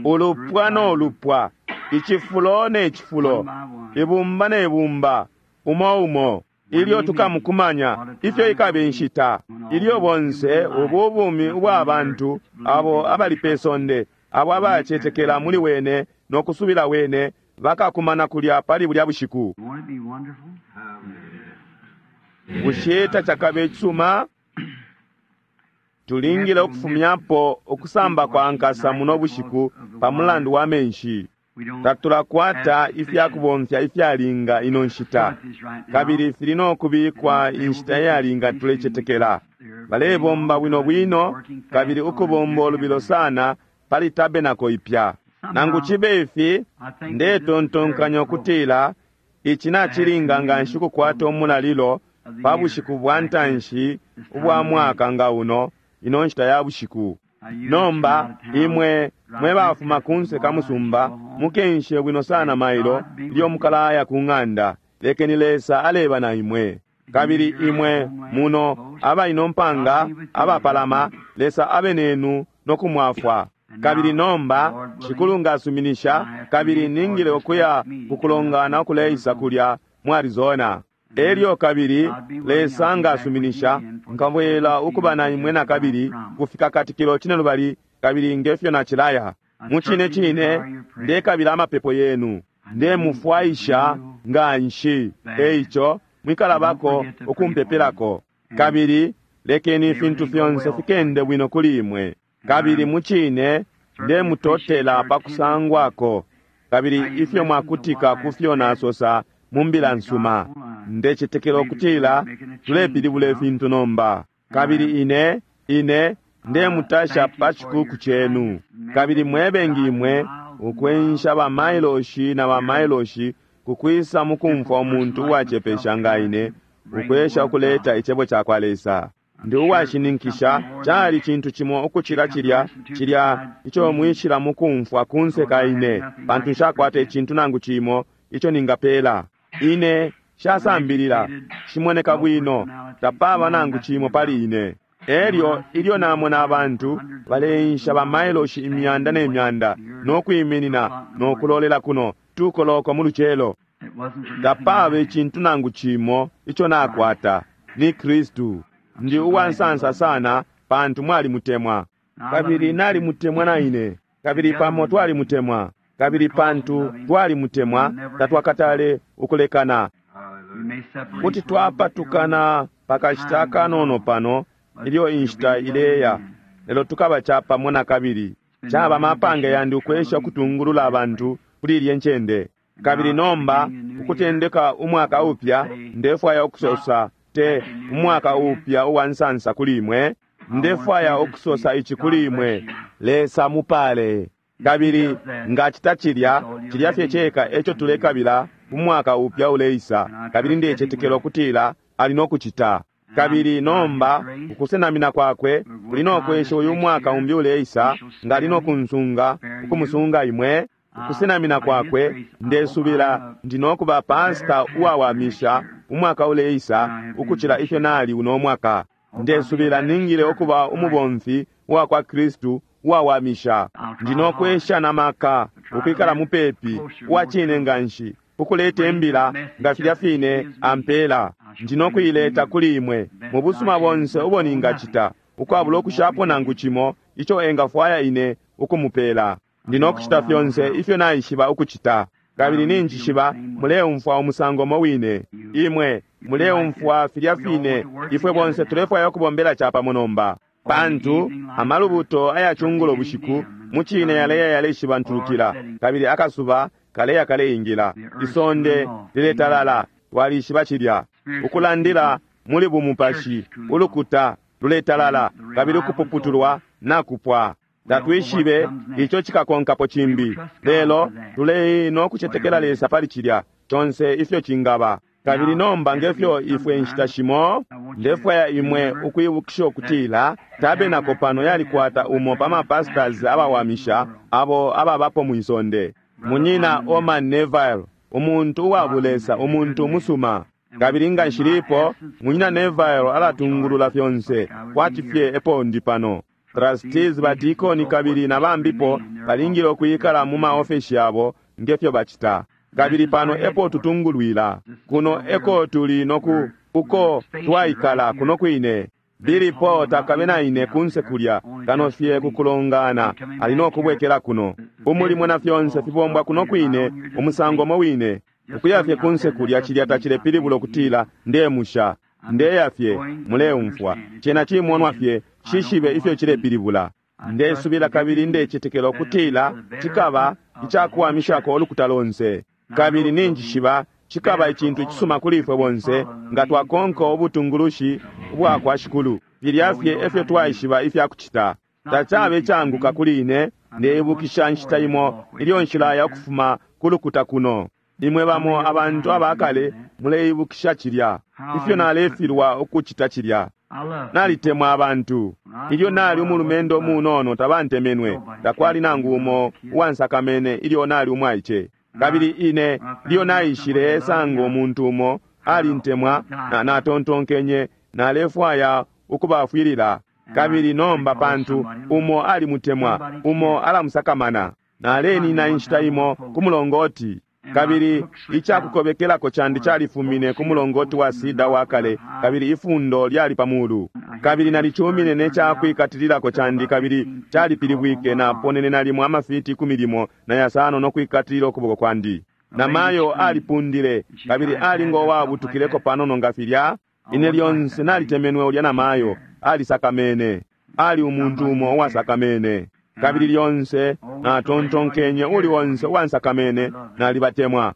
Speaker 2: Ulupwa no lupwa, icifulo ne cifulo, ibumba ne bumba, umo umo, ilyo tukamukumanya, ifyo ikaba inshita ilyo bonse ubu bumi ubwa bantu abo abali pe sonde, abo abacetekela muli wene no kusubila wene, bakakumana kulya pali bulya bushiku. Bushe tacakabe icisuma? Tulingile ukufumyapo ukusamba kwa nkasa muno bushiku pa mulandu wa menshi. Tatulakwata ifyakubomfya ifyalinga ino nshita, kabili fili no kubikwa inshita iyalinga tulecetekela. Balebomba bwino bwino kabili ukubomba ulubilo sana pali tabenako ipya. Nangu cibe ifi, ndetontonkanya ukutila ici nacilinga nga nshi kukwata umulalilo pa bushiku bwa ntanshi ubwa mwaka nga uno, ino nshita ya bushiku. Nomba imwe mwe bafuma kunse ka musumba, mukenshe bwino sana mailo ilyo mukalaya ku ng'anda. Lekeni Lesa aleba na imwe. Kabili imwe muno aba ino mpanga abapalama, Lesa abe nenu no kumwafwa. Kabili nomba Shikulu ngasuminisha, kabili ningile ukuya kukulongana ukuleisa kulya mu Arizona. Elyo kabili Lesa ngasuminisha, nkabwela ukuba na imwe na kabili kufika katikilo cine lubali, kabili ngefyo nacilaya. Mucine cine ndekabila amapepo yenu, ndemufwaisha nga nshi. Eico mwikalabako ukumpepelako, kabili lekeni ifintu fyonse fikende bwino kuli imwe. Kabili mucine ndemutotela pakusangwako, kabili ifyo mwakutika kufyo nasosa mu mbila nsuma. Ndecetekela ukutila tulepilibula ifintu nomba. Kabili ine ine ndemutasha pa cikuku cenu. Kabili mwebengi imwe ukwensha ba mailoshi na ba mailoshi kukwisa mukumfwa umuntu uwacepesha nga ine ukwesha ukuleta icebo ca kwa Lesa. Ndi uwashininkisha cali cintu cimo ukucila cilya cilya ico mwishila mukumfwa kunse ka ine, pantu nshakwata icintu nangu cimo ico ningapela. Ine shasambilila, shimoneka bwino, tapaba nangu cimo pali ine. Elyo ilyo namona abantu baleensha ba mailoshi imyanda ne myanda no kwiminina no kulolela kuno tukoloko mu lucelo, tapaba icintu nangu cimo ico nakwata ni Kristu. Ndi uwansansa sana pantu mwalimutemwa, kabili nalimutemwa na ine, kabili pamo twalimutemwa, kabili pantu twalimutemwa tatwakatale ukulekana. Kuti twapatukana pakashita kanono pano ilyo inshita ileya, lelo tukaba capamo na kabili. Caba mapange yandi ukwesha ukutungulula abantu kuli ilye ncende. Kabili nomba ukutendeka umwaka upya, ndefwaya ukusosa te umwaka upya uwa nsansa kuli imwe. Ndefwaya ukusosa ici kuli imwe, Lesa mupale. Kabili ngacita cilya, cilya fye ceka eco tulekabila umwaka upya uleisa, kabili ndecetekela ukutila ali no kucita. Kabili nomba ukusenamina kwakwe kuli no kwesha uyu mwaka umbi uleisa, ngali no kunsunga ukumusunga imwe. Ukusenamina kwakwe ndesubila ndi no kuba pasta uwawamisha umwaka uleisa ukucila ifyo nali uno mwaka. Ndesubila ningile ukuba umubomfi uwa kwa Kristu uwawamisha. Ndi no kwesha na maka ukwikala mupepi uwa cine nganshi ukuleta imbila nga filya fine ampela. Ndi no kuileta kuli imwe mu busuma bonse ubo ningacita, ukwabula ukushapo nangu cimo ico engafwaya ine ukumupela. Ndi no kucita fyonse ifyo naishiba ukucita, kabili ninjishiba muleumfwa umusango mo wine. Imwe muleumfwa filya fine. Ifwe bonse tulefwaya ukubombela capamo nomba, pantu amalubuto ayacungulo bushiku mucine yaleya yaleshibantulukila, kabili akasuba kaleya kaleingila, isonde liletalala. Twalishiba cilya. Ukulandila muli bumupashi, ulukuta luletalala, kabili ukupuputulwa nakupwa. Tatwishibe ico cikakonkapo cimbi, lelo tulei no kucetekela Lesa pali cilya conse ifyo cingaba. Kabili nomba ngefyo ifwe inshita shimo, ndefwaya imwe ukwibukisha ukutila tabenako pano yalikwata umo pa mapastors abawamisha abo ababapo mwisonde, Munyina Orman Neville, umuntu uwabulesa, umuntu umusuma. Kabili nga nshilipo, Munyina Neville alatungulula fyonse kwati fye epo ndi pano. Trustees, badikoni kabili na bambipo balingile ukwikala mu maofeshi yabo ngefyo bacita. Kabili pano epo tutungulwila, kuno eko tuli noku uko twaikala kuno kwine. Billy Paul takabe na ine kunse kulya kano fye kukulongana, ali no kubwekela kuno. Umulimo na fyonse fibombwa kuno kwine umusango mo wine. Ukuya fye kunse kulya cilya tacilepilibula ukutila ndemusha, ndeya fye, muleumfwa. Cena cimonwa fye, shishibe ifyo cilepilibula. Ndesubila kabili ndecetekela ukutila cikaba icakuwamishako ulukuta lonse. Kabili ninjishiba cikaba icintu icisuma kuli ifwe bonse nga twakonka ubutungulushi ubwa kwa Shikulu. Filya fye efyo twaishiba ifya kucita. Tacabe icanguka kuli ine. Ndeibukisha nshita imo ilyo nshilaya ukufuma ku lukuta kuno. Imwe bamo abantu abakale muleibukisha cilya, ifyo nalefilwa ukucita cilya. Nalitemwa abantu. Ilyo nali umulumendo umunono tabantemenwe, takwali nangu umo uwansakamene ilyo nali umwaice. Kabili ine ilyo naishile sanga umuntu umo Alintemwa, na natontonkenye nalefwaya ukubafwilila. Kabili nomba pantu umo alimutemwa, umo alamusakamana. Nalenina inshita imo ku mulongoti, kabili icakukobekelako candi califumine ku mulongoti wa sida wa kale, kabili ifundo lyali pa mulu. Kabili nalicumine ne cakwikatililako candi, kabili calipilibwike, naponene nalimo amafiti 15 na 5 no kwikatilila ukuboko kwandi. Namayo alipundile, kabili ali ngo wabutukileko panono nga filya. Ine lyonse nalitemenwe ulya namayo, alisakamene. Ali umuntu umo uwasakamene. Kabili lyonse natontonkenye uli onse uwansakamene nalibatemwa.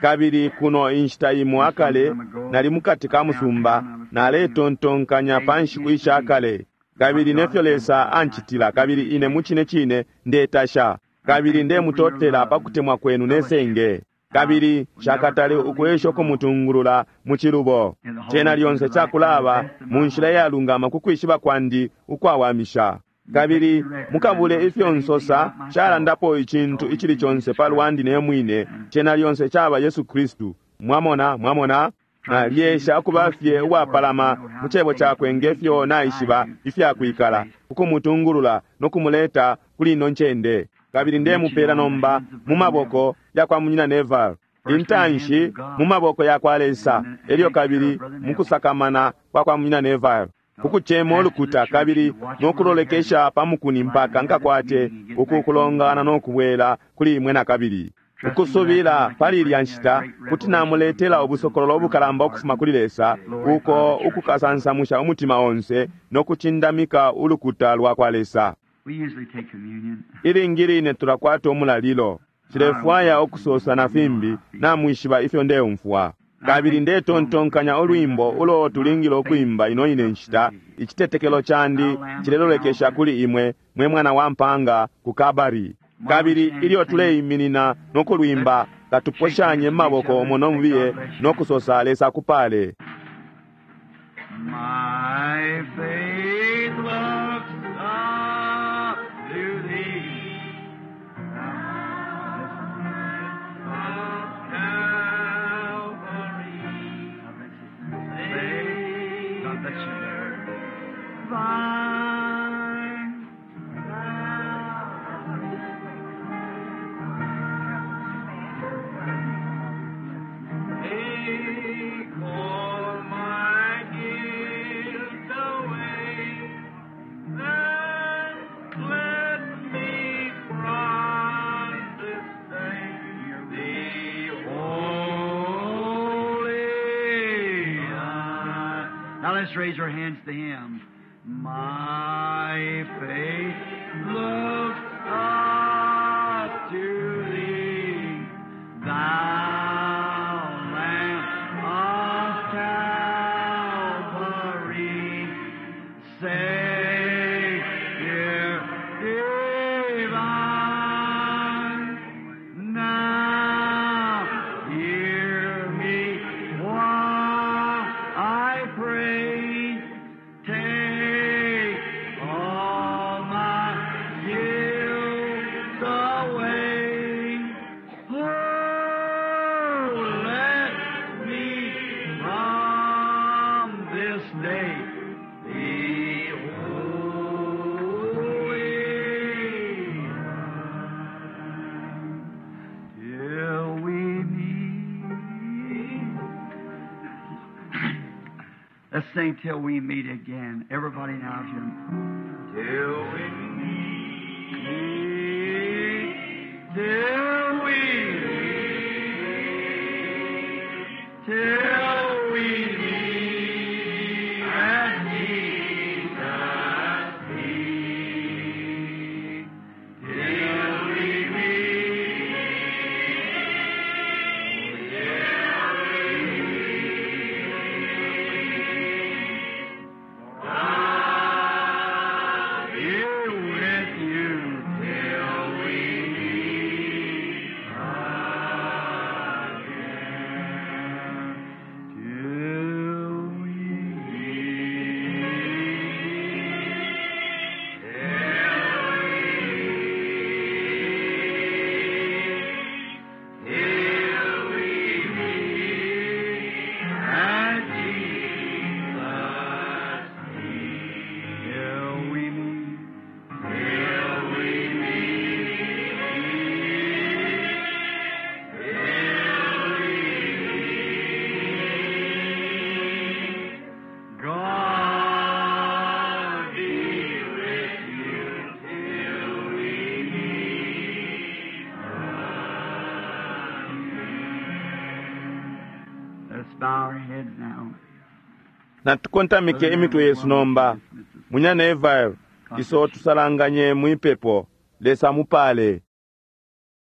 Speaker 2: Kabili kuno inshita imo akale nali mukati ka musumba, naletontonkanya pa nshiku ishakale, kabili nefyo Lesa ancitila, kabili ine mucine cine ndetasha, kabili ndemutotela pa kutemwa kwenu nesenge. Kabili shakatale ukwesha ukumutungulula mu cilubo. Cena lyonse cakulaba mu nshila iyalungama ku kwishiba kwandi ukwawamisha. Kabili mukabule ifyo nsosa calandapo icintu icili conse pa lwandi ne mwine, cena lyonse caba Yesu Kristu. Mwamona, mwamona? Nalyesha ukuba fye uwapalama mu cebo cakwe ngefyo naishiba ifyakwikala, ukumutungulula no kumuleta kuli ino ncende. Kabili ndemupela nomba mu maboko ya kwa Munyina Neville, intanshi mu maboko ya kwa Lesa, elyo kabili mukusakamana kwa kwa Munyina Neville, ukucema ulukuta kabili nokulolekesha pa mukuni mpaka nkakwate uku kulongana no kubwela kuli imwe na kabili. Ukusubila pali ilya nshita kuti namuletela ubusokololo ubukalamba ukufuma kuli Lesa, uko ukukasansamusha umutima onse no kucindamika ulukuta lwa kwa Lesa. Ilingi line tulakwata umulalilo. Nshilefwaya ukusosa na fimbi, namwishiba ifyo ndeumfwa. Kabili ndetontonkanya ulwimbo ulo tulingile ukwimba ino ine nshita, icitetekelo candi cilelolekesha kuli imwe, mwe mwana wa mpanga ku Kabari. Kabili ilyo tuleiminina no kulwimba, katuposhanye maboko umo no mubiye no kusosa Lesa akupale.
Speaker 1: My faith looks up to thee, Calvary. God bless you. Vine. Take all my guilt away, and let me from this day be holy. Now let's raise our hands to Him. My faith looks up to Thee, Thou Lamb of Calvary, Savior divine. Now hear me while I pray. Take all my guilt away. Oh, let me from this day be holy. Till we meet. Let's sing till we meet again. Everybody now, if you till we meet, till we meet, till we meet at Jesus' feet, till we meet, till we meet. bow our heads now.
Speaker 2: Natukontamike imitwe yesu nomba. Munyana Neville, iso tusalanganye mwipepo. Lesa mupale.